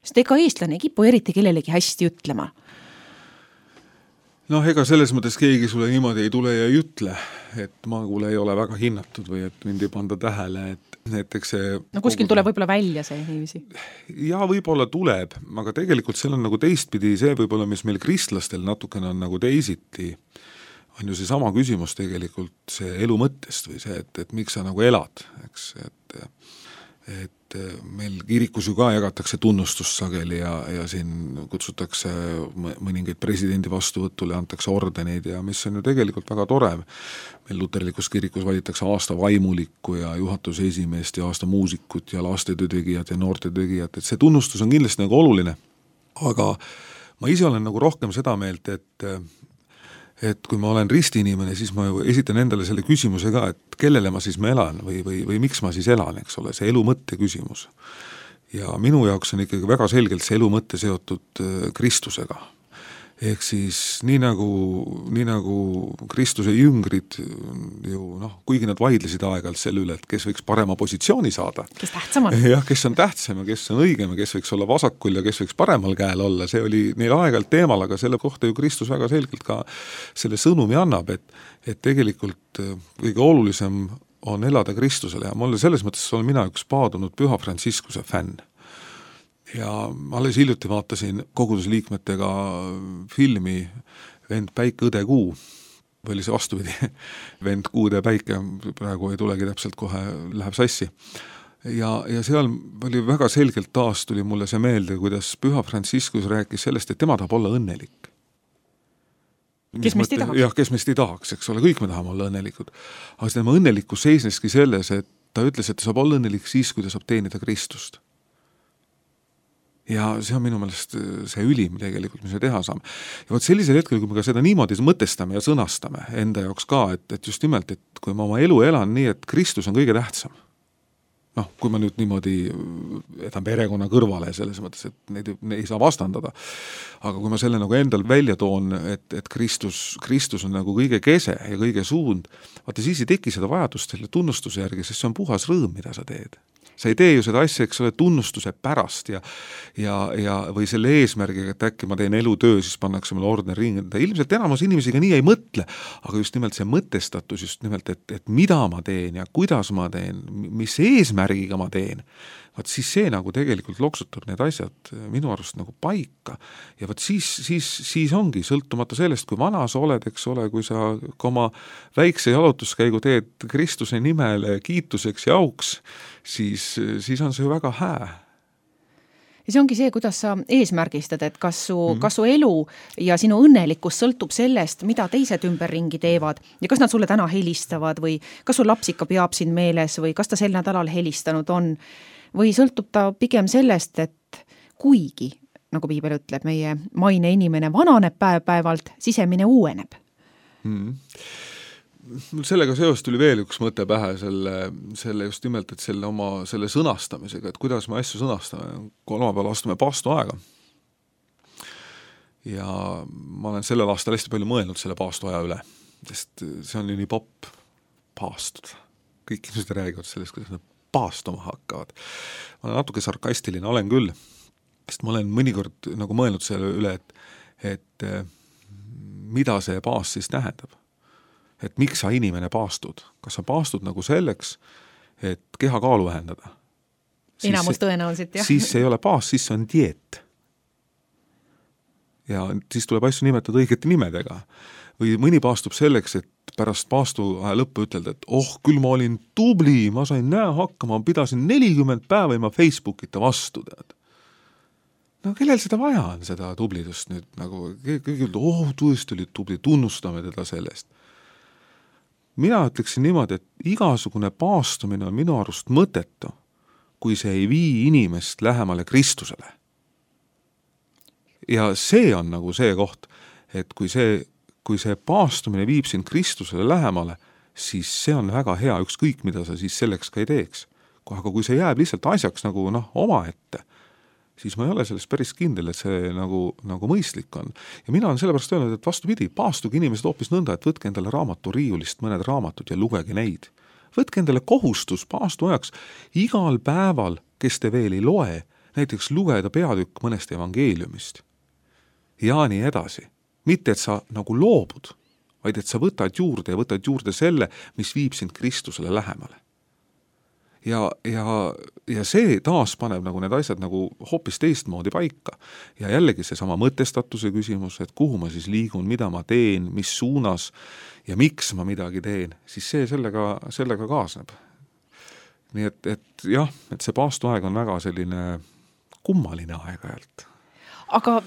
Sest ega eestlane ei kipu eriti kellelegi hästi ütlema. Noh, ega selles mõttes keegi sulle niimoodi ei tule ja ei ütle, et ma kuule ei ole väga hinnatud või et mind ei panda tähele, et näiteks see... No kuskil tuleb võib-olla välja see inimesi. Ja võib-olla tuleb, aga tegelikult seal on nagu teistpidi see võib-olla, mis meil kristlastel natukene on nagu teisiti, on ju see sama küsimus tegelikult see elu mõttest või see, et, et miks sa nagu elad, eks, et et meil kirikus ju ka jagatakse tunnustust sageli ja, ja siin kutsutakse mõningaid presidendi vastuvõtule ja antakse ordeneid ja mis on ju tegelikult väga tore. Meil luterlikus kirikus valitakse aasta vaimulikku ja juhatuse esimeest ja aasta muusikut ja lastetöötegijat ja noortetöötegijat, et see tunnustus on kindlasti nagu oluline. Aga ma ise olen nagu rohkem seda meelt, et et kui ma olen ristiinimene, siis ma esitan endale selle küsimuse ka, et kellele ma siis ma elan või, või, või miks ma siis elan, eks ole, see elu mõtte küsimus. Ja minu jaoks on ikkagi väga selgelt see elu mõtte seotud Kristusega. Ehk siis nii nagu, nii nagu Kristuse jüngrid ju, noh, kuigi nad vaidlesid aeg-ajalt selle üle, et kes võiks parema positsiooni saada. Kes tähtsam on. Jah, kes on tähtsam ja kes on õigem ja kes võiks olla vasakul ja kes võiks paremal käel olla. See oli neil aeg-ajalt teemal, aga selle kohta ju Kristus väga selgelt ka selle sõnumi annab, et, et tegelikult kõige olulisem on elada Kristusele ja mulle selles mõttes olen mina üks paadunud Püha Frantsiskuse fänn. Ja alles hiljuti vaatasin kogudusliikmetega filmi Vend Päike, õde Kuu, või oli see vastupidi, Vend Kuude Päike, praegu ei tulegi täpselt kohe, läheb sassi. Ja, ja seal oli väga selgelt taas tuli mulle see meelde, kuidas Püha Frantsiskus rääkis sellest, et tema tahab olla õnnelik. Kes meist ei tahaks? Jah, kes meist ei tahaks, eks ole, kõik me tahame olla õnnelikud. Aga tema õnnelikkus seisneski selles, et ta ütles, et ta saab olla õnnelik siis, kui ta saab teenida Kristust. Ja see on minu meelest see ülim tegelikult, mis me teha saame. Ja võt sellisel hetkel, kui me ka seda niimoodi mõtestame ja sõnastame enda jaoks ka, et, et just nimelt, et kui ma oma elu elan nii, et Kristus on kõige tähtsam. Noh, kui ma nüüd niimoodi etan perekonna kõrvale selles mõttes, et neid ei saa vastandada. Aga kui ma selle nagu endal välja toon, et, et Kristus, Kristus on nagu kõige kese ja kõige suund, vaata siis ei teki seda vajadust selle tunnustuse järgi, sest see on puhas rõõm, mida sa teed. Sa ei tee ju seda asja, eks ole, tunnustuse pärast ja, ja, ja või selle eesmärgiga, et äkki ma teen elutöö, siis pannakse mulle orden ringi. Ilmselt enamus inimesiga nii ei mõtle, aga just nimelt see mõtestatus, just nimelt, et, et mida ma teen ja kuidas ma teen, mis eesmärgiga ma teen, vaat siis see nagu tegelikult loksutab need asjad minu arust nagu paika. Ja vaat siis, siis, siis ongi sõltumata sellest, kui vana sa oled, eks ole, kui sa oma väikse jalutuskäigu teed Kristuse nimele kiituseks ja auks, siis, siis on see ju väga hää. Ja see ongi see, kuidas sa eesmärgistad, et kas su, mm-hmm. kas su elu ja sinu õnnelikkus sõltub sellest, mida teised ümberringi teevad ja kas nad sulle täna helistavad või kas su laps ikka peab sind meeles või kas ta sel nädalal helistanud on või sõltub ta pigem sellest, et kuigi, nagu piibel ütleb, meie maine inimene vananeb päev-päevalt, sisemine uueneb. Mm-hmm. Sellega seos tuli veel üks mõte pähe selle, selle just nimelt, et selle oma selle sõnastamisega, et kuidas me asju sõnastame. Kolmapäeval astume paastu aega. Ja ma olen sellel aastal hästi palju mõelnud selle paastu aja üle, sest see on ju nii popp paastud. Kõik inimesed räägivad sellest, kuidas nad paastuma hakkavad. Ma olen natuke sarkastiline, olen küll, sest ma olen mõnikord nagu mõelnud selle üle, et, et mida see paast siis tähendab. Et miks sa inimene paastud? Kas sa paastud nagu selleks, et kehakaalu vähendada? Enamus tõenäoliselt, jah. Siis ei ole paast, siis on dieet. Ja siis tuleb asju nimetada õigete nimedega. Või mõni paastub selleks, et pärast paastu aja lõppu ütelda, et oh, küll ma olin tubli, ma sain näe hakkama, ma pidasin nelikümmend päeva ilma Facebookita vastu, tead. No kellel seda vaja on, seda tublidust nüüd? Nagu, kõigil, oh, tõesti oli tubli, tunnustame teda sellest. Mina ütleksin niimoodi, et igasugune paastumine on minu arust mõtetu, kui see ei vii inimest lähemale Kristusele. Ja see on nagu see koht, et kui see, kui see paastumine viib sind Kristusele lähemale, siis see on väga hea, ükskõik mida sa siis selleks ka ei teeks. Aga kui see jääb lihtsalt asjaks nagu noh, oma ette, siis ma ei ole sellest päris kindel, et see nagu, nagu mõistlik on. Ja mina olen sellepärast öelnud, et vastupidi, paastuge inimesed hoopis nõnda, et võtke endale raamatu riiulist mõned raamatud ja lugege neid. Võtke endale kohustus paastu ajaks igal päeval, kes te veel ei loe, näiteks lugeda peatükk mõnest evangeeliumist. Ja nii edasi. Mitte, et sa nagu loobud, vaid et sa võtad juurde ja võtad juurde selle, mis viib sind Kristusele lähemale. Ja, ja, ja see taas paneb nagu need asjad nagu hoopis teistmoodi paika. Ja jällegi see sama mõtestatuse küsimus, et kuhu ma siis liigun, mida ma teen, mis suunas ja miks ma midagi teen, siis see sellega, sellega kaasneb. Nii et, et jah, et see paastuaeg on väga selline kummaline aeg-ajalt. Aga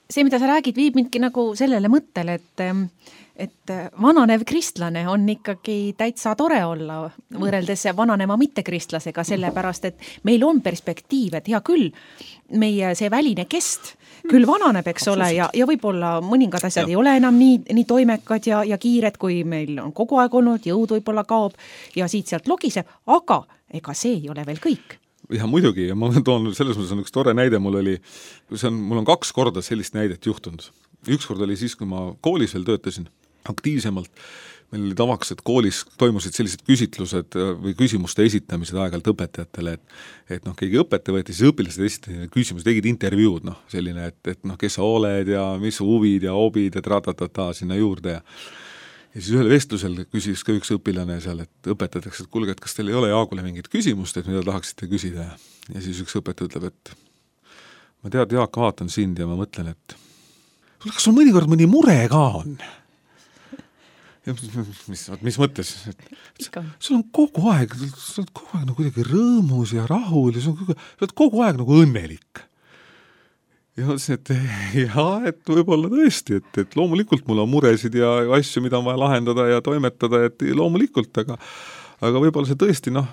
see, mida sa räägid, viib mindki nagu sellele mõttele, et et vananev kristlane on ikkagi täitsa tore olla võrreldes vananema mittekristlasega, sellepärast, et meil on perspektiiv, et hea küll, meie see väline kest küll vananeb, eks ole, ja, ja võib-olla mõningad asjad ja. Ei ole enam nii, nii toimekad ja, ja kiired, kui meil on kogu aeg olnud, jõud võib-olla kaob ja siit sealt logiseb, aga ega see ei ole veel kõik. Ja muidugi, ja ma olen toonud, selles mõttes on üks tore näide, mul oli, see on, mul on kaks korda sellist näidet juhtunud. Üks kord oli siis, kui ma koolis veel töötasin aktiivsemalt, meil oli tavaks, et koolis toimusid sellised küsitlused või küsimuste esitamised aeg-ajalt õpetajatele, et, et noh, keegi õpetaja võeti, siis õpilased esitasid küsimusi, tegid intervjuud, noh, selline, et, et noh, kes sa oled ja mis huvid ja hobid ja tratatata sinna juurde ja Ja siis ühel vestlusel küsis ka üks õpilane seal, et õpetatakse, et kuulge, et kas teil ei ole Jaagule mingit küsimust, et mida tahaksite küsida. Ja siis üks õpetaja ütleb, et ma tead, Jaak, vaatan sind ja ma mõtlen, et kas sul mõnikord mõni mure ka on? Ja mis, mis mõttes? Et, et sul on kogu aeg, sul on kogu aeg nagu kuidagi rõõmus ja rahul ja sul on kogu, sul on kogu aeg nagu õnnelik. Ja mõtlesin, et jah, et võib-olla tõesti, et, et loomulikult mul on muresid ja asju, mida on vaja lahendada ja toimetada, et loomulikult, aga, aga võib-olla see tõesti, noh,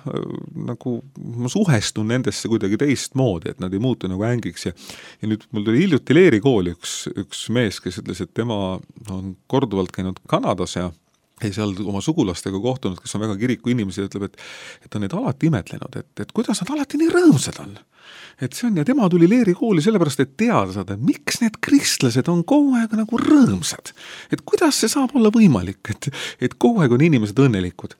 nagu ma suhestun nendesse kuidagi teistmoodi, et nad ei muutu nagu ängiks ja, ja nüüd mul tuli hiljuti Leeri kooli üks, üks mees, kes ütles, et tema on korduvalt käinud Kanadas ja ja seal oma sugulastega kohtunud, kes on väga kiriku inimesi, ütleb, et, et on neid alati imetlenud, et, et kuidas nad alati nii rõõmsad on. Et see on, ja tema tuli Leeri kooli sellepärast, et teada saada, et miks need kristlased on kogu aeg nagu rõõmsad. Et kuidas see saab olla võimalik, et, et kogu aeg on inimesed õnnelikud.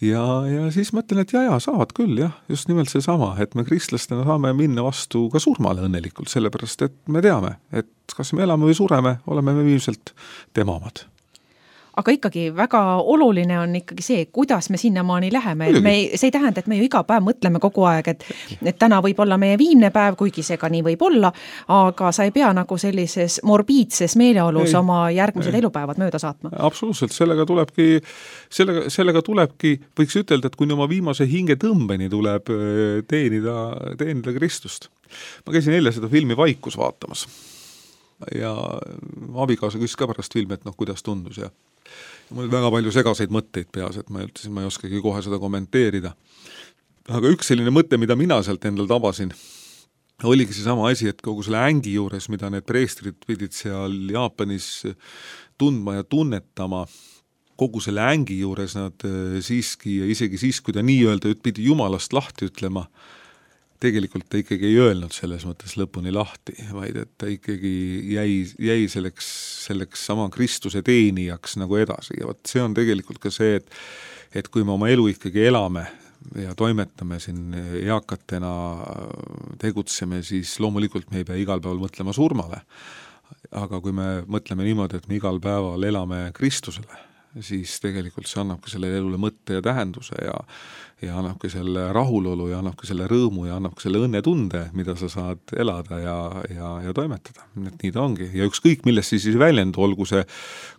Ja, ja siis mõtlen, et ja, ja, saavad küll, jah, just nimelt see sama, et me kristlastena saame minna vastu ka surmale õnnelikult, sellepärast, et me teame, et kas me elame või sureme, oleme me viimselt tema omad. Aga ikkagi väga oluline on ikkagi see, kuidas me sinnamaani läheme. Et me, see ei tähenda, et me ju iga päev mõtleme kogu aeg, et, et täna võib olla meie viimne päev, kuigi see ka nii võib olla, aga sa ei pea nagu sellises morbiidses meeleolus ei, oma järgmised ei. elupäevad mööda saatma. Absoluutselt, sellega tulebki, sellega, sellega tulebki, võiks ütelda, et kuni oma viimase hinge tõmbeni tuleb teenida, teenida Kristust. ma käisin eile seda filmi Vaikus vaatamas ja abikaasa küsis ka pärast filmi, et noh, kuidas tundus ja, ja mul oli väga palju segaseid mõtteid peas, et ma ütlesin, ma ei oskagi kohe seda kommenteerida. Aga üks selline mõte, mida mina sealt endal tabasin, oligi see sama asi, et kogu selle ängi juures, mida need preestrid pidid seal Jaapanis tundma ja tunnetama, kogu selle ängi juures nad siiski ja isegi siis, kui ta nii öelda, pidi Jumalast lahti ütlema, tegelikult ta ikkagi ei öelnud selles mõttes lõpuni lahti, vaid et ta ikkagi jäi, jäi selleks, selleks sama Kristuse teenijaks nagu edasi. Ja võt, see on tegelikult ka see, et, et kui me oma elu ikkagi elame ja toimetame siin eakatena, tegutseme, siis loomulikult me ei pea igal päeval mõtlema surmale. Aga kui me mõtleme niimoodi, et me igal päeval elame Kristusele, siis tegelikult see annabki selle elule mõtte ja tähenduse ja, ja annabki selle rahulolu ja annabki selle rõõmu ja annabki selle õnnetunde, mida sa saad elada ja, ja, ja toimetada. Et nii ta ongi. Ja ükskõik, millest siis väljendu, olgu see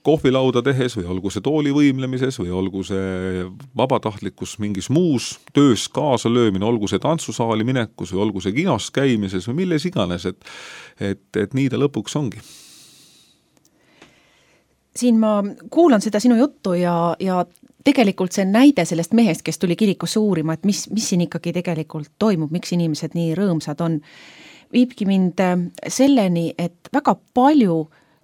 kohvilauda tehes või olgu see tooli võimlemises või olgu see vabatahtlikkus mingis muus töös kaasa löömine, olgu see tantsusaali minekus või olgu see kinos käimises või milles iganes, et, et, et nii ta lõpuks ongi. Siin ma kuulan seda sinu juttu ja, ja tegelikult see näide sellest mehest, kes tuli kirikusse uurima, et mis, mis siin ikkagi tegelikult toimub, miks inimesed nii rõõmsad on, viibki mind selleni, et väga palju,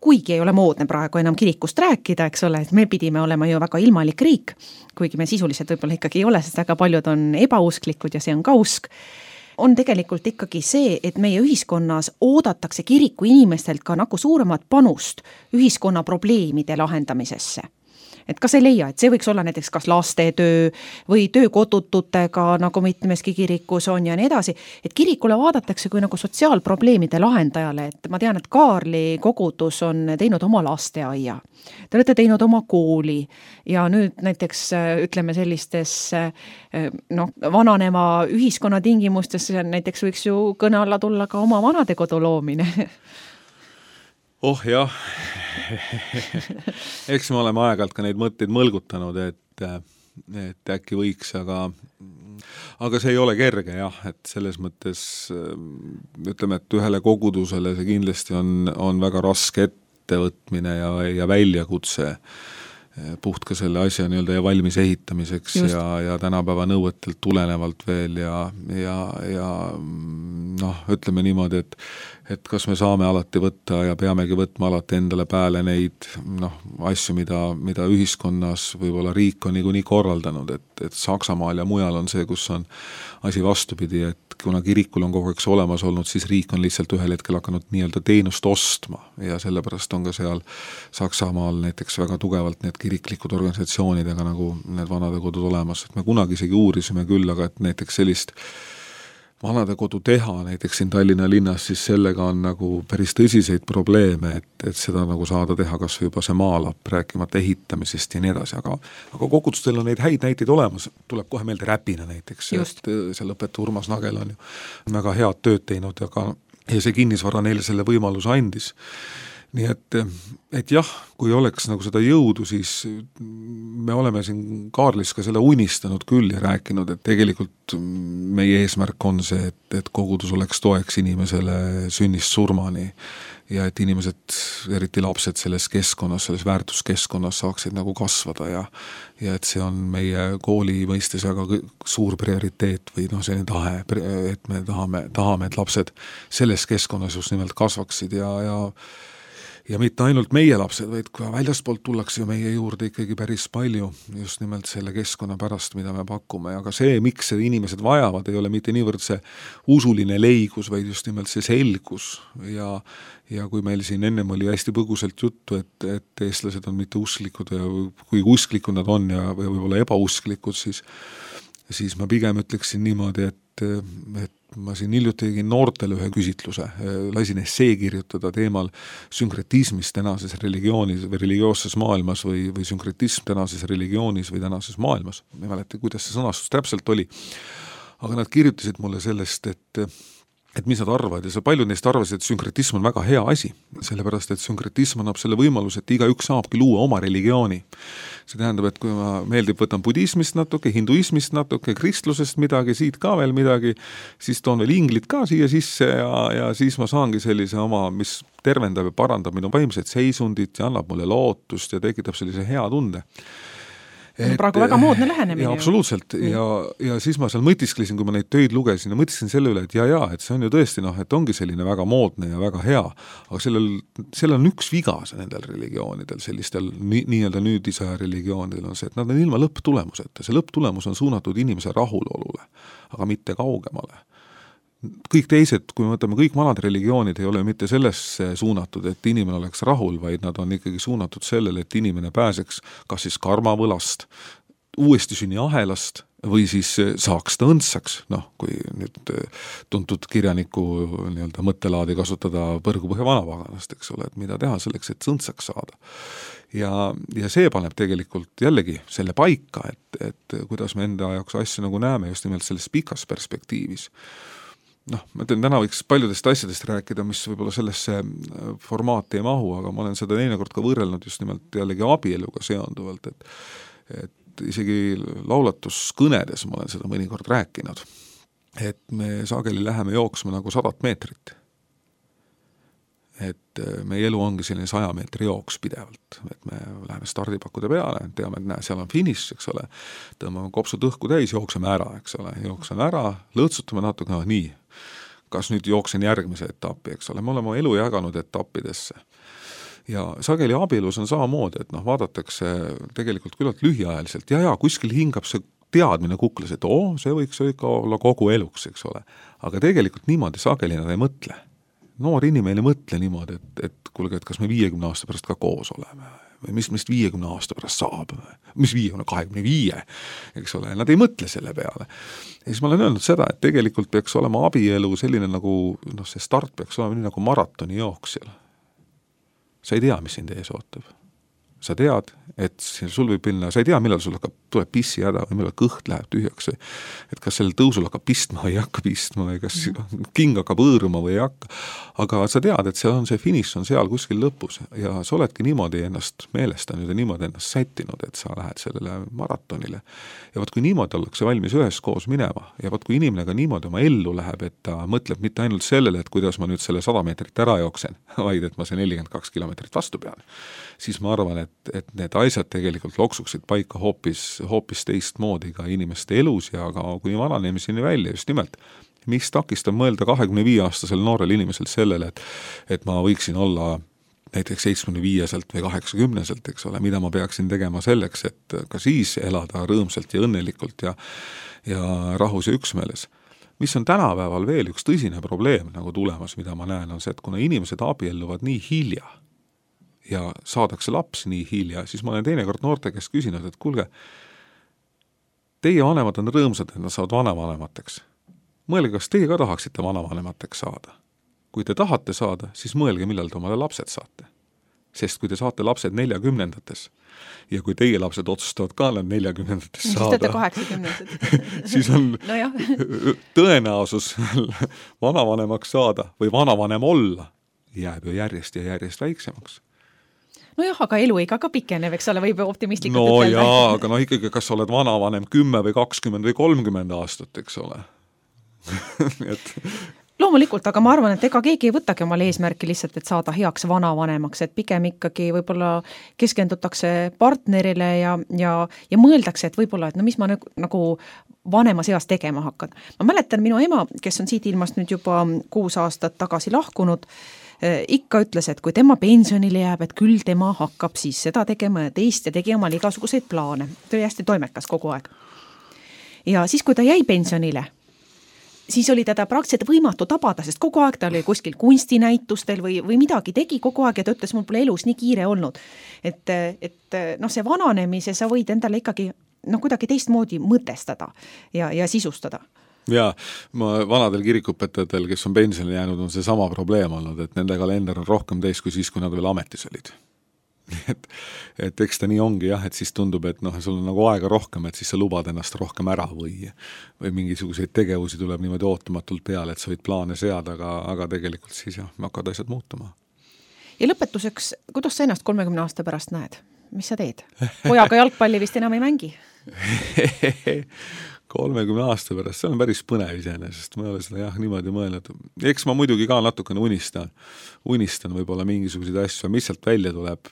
kuigi ei ole moodne praegu enam kirikust rääkida, eks ole, et me pidime olema ju väga ilmalik riik, kuigi me sisuliselt võib-olla ikkagi ei ole, sest väga paljud on ebausklikud ja see on ka usk, on tegelikult ikkagi see, et meie ühiskonnas oodatakse kiriku inimestelt ka nagu suuremat panust ühiskonna probleemide lahendamisesse. Et kas ei leia, et see võiks olla näiteks kas lastetöö või töö kodututega, nagu mitmeski kirikus on ja nii edasi, et kirikule vaadatakse kui nagu sotsiaalprobleemide lahendajale, et ma tean, et Kaarli kogudus on teinud oma lasteaia, te olete teinud oma kooli ja nüüd näiteks ütleme sellistes noh, vananema ühiskonna tingimustes näiteks võiks ju kõne alla tulla ka oma vanadekodu loomine. Oh jah, eks me oleme aeg-ajalt ka neid mõtteid mõlgutanud, et, et äkki võiks, aga, aga see ei ole kerge jah, et selles mõttes ütleme, et ühele kogudusele see kindlasti on, on väga raske ettevõtmine ja, ja väljakutse puht ka selle asja nii-öelda ja valmis ehitamiseks Just. ja, ja tänapäeva nõuetelt tulenevalt veel ja, ja, ja noh, ütleme niimoodi, et, et kas me saame alati võtta ja peamegi võtma alati endale pääle neid noh, asju, mida, mida ühiskonnas võib-olla riik on niikuinii korraldanud, et, et Saksamaal ja mujal on see, kus on asi vastupidi, et kuna kirikul on kogu aeg see olemas olnud, siis riik on lihtsalt ühel hetkel hakanud nii-öelda teenust ostma ja sellepärast on ka seal Saksamaal näiteks väga tugevalt need kiriklikud organisatsioonidega nagu need vanadekodud olemas, et me kunagi isegi uurisime küll, aga et näiteks sellist vanadekodu teha näiteks siin Tallinna linnas, siis sellega on nagu päris tõsiseid probleeme, et, et seda nagu saada teha kas või juba see maalap, rääkimata ehitamisest ja nii edasi, aga, aga kogudustel on neid häid näiteid olemas, tuleb kohe meelde Räpina näiteks, et seal õpetaja Urmas Nagel on ju väga head tööd teinud ja, ka, ja see kinnisvara neile selle võimaluse andis. Nii et, et jah, kui oleks nagu seda jõudu, siis me oleme siin Kaarlis ka selle unistanud küll ja rääkinud, et tegelikult meie eesmärk on see, et, et kogudus oleks toeks inimesele sünnist surmani ja et inimesed, eriti lapsed selles keskkonnas, selles väärtuskeskkonnas saaksid nagu kasvada ja, ja et see on meie kooli mõistes väga suur prioriteet või noh, selline tahe, et me tahame, tahame, et lapsed selles keskkonnas just nimelt kasvaksid ja, ja Ja mitte ainult meie lapsed, vaid ka väljaspoolt tullakse ju meie juurde ikkagi päris palju just nimelt selle keskkonna pärast, mida me pakume. Aga see, miks see inimesed vajavad, ei ole mitte niivõrd see usuline leigus, vaid just nimelt see selgus. Ja, ja kui meil siin ennem oli hästi põgusalt juttu, et, et eestlased on mitte usklikud ja kui usklikud nad on ja või võib-olla ebausklikud, siis, siis ma pigem ütleksin niimoodi, et, et ma siin hiljuti tegin noortele ühe küsitluse, lasin essee kirjutada teemal sünkretismist tänases religioonis või religioosses maailmas või, või sünkretism tänases religioonis või tänases maailmas. Ma ei mäleta, kuidas see sõnastus täpselt oli. Aga nad kirjutasid mulle sellest, et et mis nad arvavad ja see paljud neist arvasid, et sünkretism on väga hea asi, sellepärast et sünkretism annab selle võimaluse, et igaüks saabki luua oma religiooni. See tähendab, et kui ma meeldib, võtan budismist natuke, hinduismist natuke, kristlusest midagi, siit ka veel midagi, siis toon veel inglid ka siia sisse ja, ja siis ma saangi sellise oma, mis tervendab ja parandab minu vaimset seisundit ja annab mulle lootust ja tekitab sellise hea tunde. Et, praegu väga moodne lähenemine. Ja absoluutselt. Ja, ja siis ma seal mõtisklesin, kui ma neid töid lugesin ja mõtisklesin selle üle, et ja, ja, et see on ju tõesti, noh, et ongi selline väga moodne ja väga hea, aga sellel, sellel on üks viga nendel religioonidel, sellistel nii, nii-öelda nüüdisaja religioonidel on see, et nad on ilma lõpptulemuseta. See lõpptulemus on suunatud inimese rahulolule, aga mitte kaugemale. Kõik teised, kui me võtame kõik vanad religioonid, ei ole mitte sellesse suunatud, et inimene oleks rahul, vaid nad on ikkagi suunatud sellele, et inimene pääseks kas siis karmavõlast, uuesti sünni ahelast või siis saaks ta õndsaks, noh, kui nüüd tuntud kirjaniku nii-öelda mõttelaadi kasutada Põrgupõhja vanapaganast, eks ole, et mida teha selleks, et õndsaks saada. Ja, ja see paneb tegelikult jällegi selle paika, et, et kuidas me enda jaoks asju nagu näeme just nimelt selles pikas perspektiivis. Noh, ma ütlen, täna võiks paljudest asjadest rääkida, mis võib-olla sellesse formaati ei mahu, aga ma olen seda teinekord ka võrrelnud just nimelt jällegi abieluga seonduvalt, et, et isegi laulatuskõnedes ma olen seda mõnikord rääkinud, et me sageli läheme jooksma nagu sadat meetrit. Et meie elu ongi selline saja meetri jooks pidevalt, et me läheme stardipakkude peale, teame, et näe, seal on finiš, eks ole, tõmbame kopsud õhku täis, jookseme ära, eks ole, jookseme ära, lõõtsutame natuke, no nii, kas nüüd jooksen järgmise etapi, eks ole, me oleme elu jaganud etappidesse. Ja sageli abielus on samamoodi, et noh, vaadatakse tegelikult küllalt lühiajaliselt, ja ja kuskil hingab see teadmine kuklas, et oo, see võiks ikka olla kogu eluks, eks ole, aga tegelikult niimoodi sageli nad ei mõtle. Noor inimene ei mõtle niimoodi, et, et kuulge, et kas me viiekümne aasta pärast ka koos oleme või mis meist viiekümne aasta pärast saab, mis viiekümne, kahekümne viie, eks ole, nad ei mõtle selle peale. Ja siis ma olen öelnud seda, et tegelikult peaks olema abielu selline nagu, noh, see start peaks olema nii nagu maratoni jooksjal. Sa ei tea, mis sind ees ootab. Sa tead, et sul võib minna, sa ei tea, millal sul hakkab, tuleb pissi häda või millal kõht läheb tühjaks, et kas sellel tõusul hakkab pistma või ei hakka pistma või kas king hakkab õõruma või ei hakka, aga sa tead, et seal on see finiš on seal kuskil lõpus ja sa oledki niimoodi ennast meelestanud ja niimoodi ennast sättinud, et sa lähed sellele maratonile ja võt kui niimoodi ollakse valmis üheskoos minema ja võt kui inimene ka niimoodi oma ellu läheb, et ta mõtleb mitte ainult sellele, et kuidas ma nüüd selle sada meetrit ära jooksen, vaid et ma see nelikümmend kaks kilomeetrit vastu pean, siis ma arvan, et, et need asjad tegelikult loksuksid paika hoopis, hoopis teist moodi ka inimeste elus ja ka kuni vananemiseni välja just nimelt. Mis takistab mõelda kahekümne viie aastasel noorel inimesel sellele, et, et ma võiksin olla näiteks seitsmekümne viieselt või kaheksakümneselt, eks ole, mida ma peaksin tegema selleks, et ka siis elada rõõmsalt ja õnnelikult ja, ja rahus ja üksmeeles. Mis on tänapäeval veel üks tõsine probleem nagu tulemas, mida ma näen, on see, et kuna inimesed abielluvad nii hilja ja saadakse laps nii hilja, siis ma olen teinekord noorte käest küsinud, et kuulge, teie vanemad on rõõmsad, et nad saavad vanavanemateks. Mõelge, kas teie ka tahaksite vanavanemateks saada? Kui te tahate saada, siis mõelge, millal te omale lapsed saate. Sest kui te saate lapsed neljakümnendates ja kui teie lapsed otsustavad ka nad neljakümnendates saada, siis on no tõenäosus vanavanemaks saada või vanavanem olla jääb ju järjest ja järjest väiksemaks. No jah, aga eluiga ka pikenev, eks ole, võib optimistlikult no ütelda. No jaa, aga no ikkagi, kas oled vanavanem kümme või kakskümmend või kolmkümmend aastat, eks ole. et... Loomulikult, aga ma arvan, et ega keegi ei võtagi omale eesmärki lihtsalt, et saada heaks vanavanemaks, et pigem ikkagi võib-olla keskendutakse partnerile ja, ja, ja mõeldakse, et võib-olla, et no mis ma nagu, nagu vanemas eas tegema hakkan. Ma mäletan minu ema, kes on siit ilmast nüüd juba kuus aastat tagasi lahkunud, ikka ütles, et kui tema pensionile jääb, et küll tema hakkab siis seda tegema ja teist ja tegi omal igasuguseid plaane. Ta oli hästi toimekas kogu aeg. Ja siis, kui ta jäi pensionile, siis oli teda praktiliselt võimatu tabada, sest kogu aeg ta oli kuskil kunstinäitustel või, või midagi tegi kogu aeg ja ta ütles, mul pole elus nii kiire olnud. Et, et noh, see vananemise sa võid endale ikkagi noh, kuidagi teistmoodi mõtestada ja, ja sisustada. Ja ma vanadel kirikuõpetajatel, kes on pensionile jäänud, on see sama probleem olnud, et nende kalender on rohkem teis kui siis, kui nad veel ametis olid. et, et eks ta nii ongi jah, et siis tundub, et noh, sul on nagu aega rohkem, et siis sa lubad ennast rohkem ära või, või mingisuguseid tegevusi tuleb niimoodi ootamatult peale, et sa võid plaane seada, aga, aga tegelikult siis jah, hakkavad asjad muutuma. Ja lõpetuseks, kuidas sa ennast kolmekümne aasta pärast näed? Mis sa teed? Pojaga jalgpalli vist enam ei mängi? kolmekümne aasta pärast, see on päris põnev iseenesest, ma ei ole seda jah niimoodi mõelnud. Eks ma muidugi ka natukene unistan, unistan võib-olla mingisuguseid asju, mis sealt välja tuleb.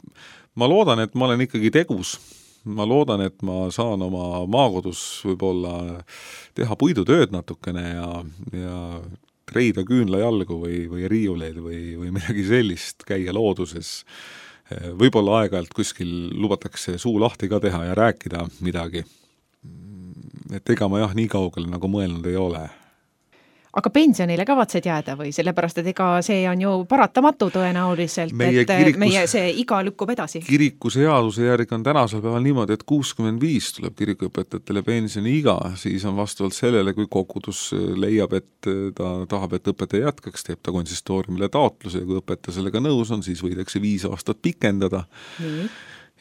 Ma loodan, et ma olen ikkagi tegus. Ma loodan, et ma saan oma maakodus võib-olla teha puidutööd natukene ja, ja treida küünla jalgu või, või riiuleid või, või midagi sellist, käia looduses. Võib-olla aeg-ajalt kuskil lubatakse suu lahti ka teha ja rääkida midagi. Et ega ma jah nii kaugele nagu mõelnud ei ole. Aga pensionile kavatsed jääda või? Sellepärast, et ega see on ju paratamatu tõenäoliselt, meie et kirikus, meie see iga lükkub edasi. Kiriku seaduse järgi on tänasel päeval niimoodi, et kuuskümmend viis tuleb kirikuõpetajatele pensioni iga, siis on vastavalt sellele, kui kogudus leiab, et ta tahab, et õpetaja jätkaks, teeb ta konsistooriumile taotluse ja kui õpetaja sellega nõus on, siis võidakse viis aastat pikendada. Nii.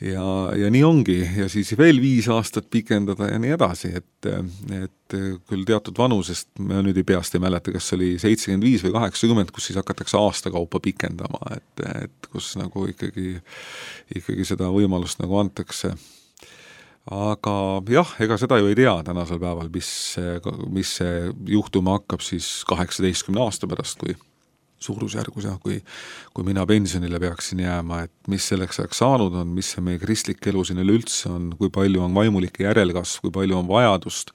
Ja, ja nii ongi ja siis veel viis aastat pikendada ja nii edasi, et, et küll teatud vanusest, ma nüüd ei peast ei mäleta, kas oli seitsekümmend viis või kaheksakümmend, kus siis hakatakse aastakaupa pikendama, et, et kus nagu ikkagi, ikkagi seda võimalust nagu antakse. Aga jah, ega seda ju ei tea tänasel päeval, mis, mis see juhtuma hakkab siis kaheksateistkümne aasta pärast, kui suurusjärgus, jah, kui, kui mina pensionile peaksin jääma, et mis selleks ajaks saanud on, mis see meie kristlik elu siin üleüldse on, kui palju on vaimulike järelkasv, kui palju on vajadust,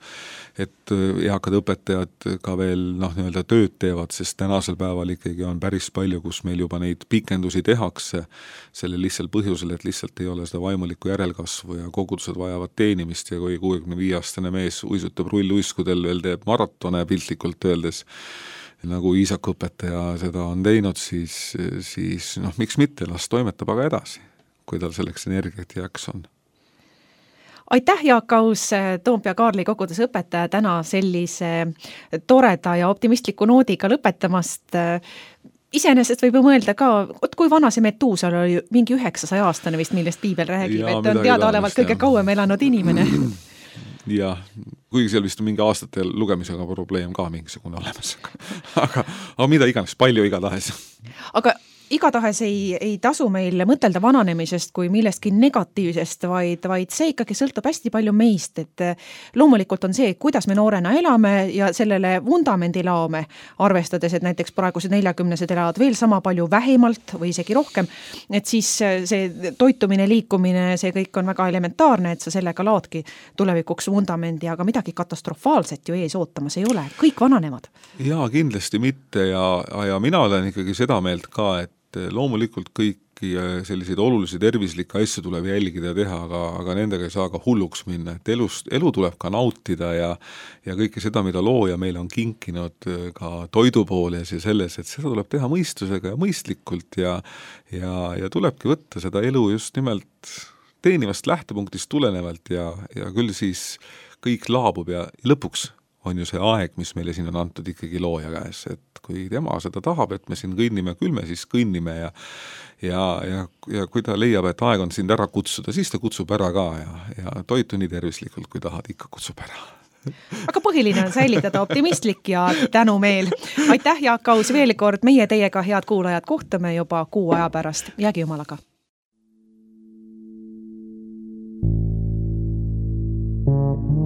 et eakad õpetajad ka veel noh, nii-öelda tööd teevad, sest tänasel päeval ikkagi on päris palju, kus meil juba neid pikendusi tehakse selle lihtsalt põhjusel, et lihtsalt ei ole seda vaimulikku järelkasvu ja kogudused vajavad teenimist ja kui kuuekümne viie aastane mees uisutab rulluiskudel veel teeb maratone piltlikult öeldes, nagu Iisakõpetaja seda on teinud, siis, siis noh, miks mitte, las toimetab aga edasi, kui tal selleks energiat jääks on. Aitäh, Jaak Aus, Toompea Kaarli koguduse õpetaja, täna sellise toreda ja optimistliku noodiga lõpetamast. Iseenesest võib ju mõelda ka, kui vana see Metuusal oli mingi üheksasaja aastane vist, millest piibel räägib, ja, et on teadaolevalt kõige kauem elanud inimene. Ja kuigi seal vist on mingi aastate lugemisega probleem ka mingisugune olemas. aga, aga mida iganes, palju igatahes. Aga igatahes ei, ei tasu meil mõtelda vananemisest kui millestki negatiivsest, vaid, vaid see ikkagi sõltub hästi palju meist, et loomulikult on see, kuidas me noorena elame ja sellele vundamendi laome, arvestades, et näiteks praegused neljakümnesed elavad veel sama palju vähemalt või isegi rohkem, et siis see toitumine, liikumine, see kõik on väga elementaarne, et sa sellega laadki tulevikuks vundamendi, aga midagi katastrofaalset ju ees ootamas ei ole, kõik vananevad. Jaa, kindlasti mitte ja, ja mina olen ikkagi seda meelt ka, et loomulikult kõiki selliseid olulisi tervislikke asju tuleb jälgida ja teha, aga, aga nendega ei saa ka hulluks minna, et elust, elu tuleb ka nautida ja, ja kõike seda, mida looja meile on kinkinud ka toidu pooles ja selles, et seda tuleb teha mõistusega ja mõistlikult ja, ja, ja tulebki võtta seda elu just nimelt teenivast lähtepunktist tulenevalt ja, ja küll siis kõik laabub ja lõpuks on ju see aeg, mis meile siin on antud ikkagi looja käes, et kui tema seda tahab, et me siin kõnnime, küll me siis kõnnime ja, ja, ja, ja kui ta leiab, et aeg on sind ära kutsuda, siis ta kutsub ära ka ja, ja toitu nii tervislikult, kui tahad, ikka kutsub ära. Aga põhiline on säilitada optimistlik ja tänumeel. Aitäh, Jaak Aus, veel kord meie teiega, head kuulajad, kohtume juba kuu aja pärast. Jäägi jumalaga. Thank you.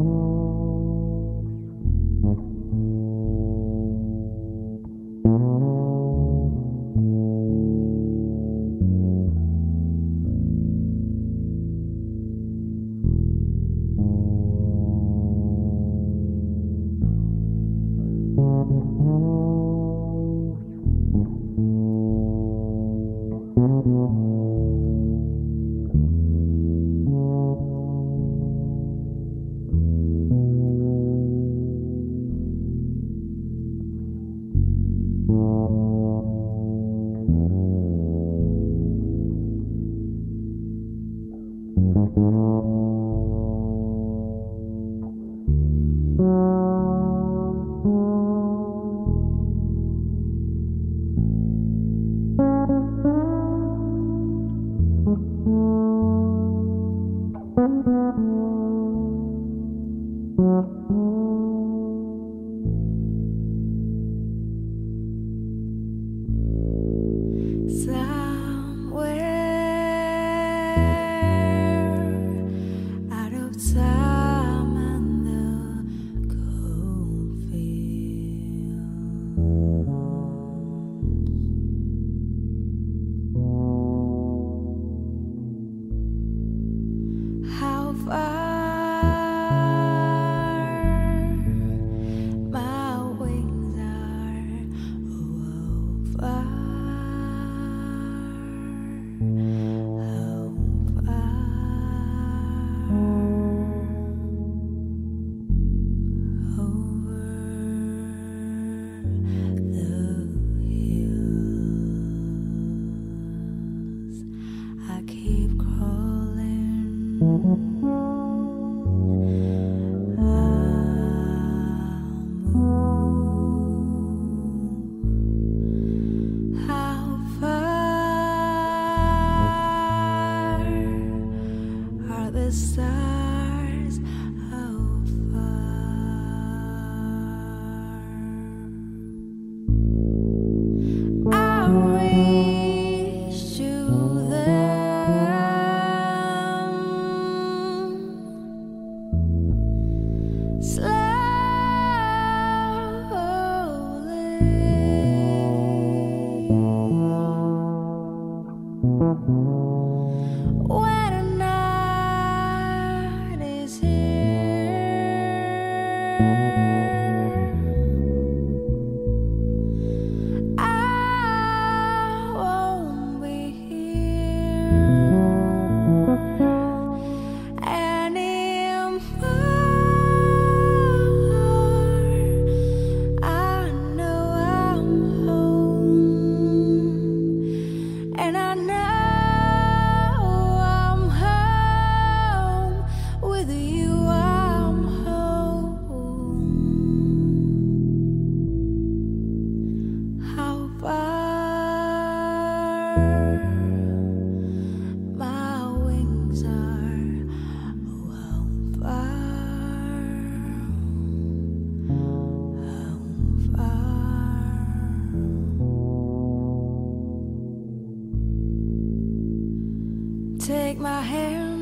Take my hand,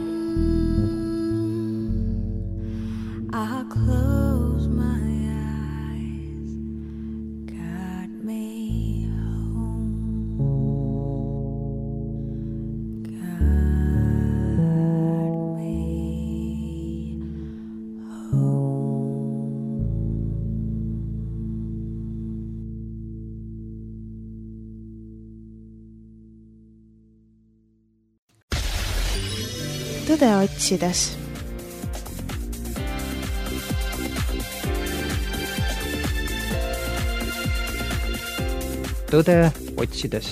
I'll close my eyes, guide me home, guide me home. Tõde otsides. Tõde otsides.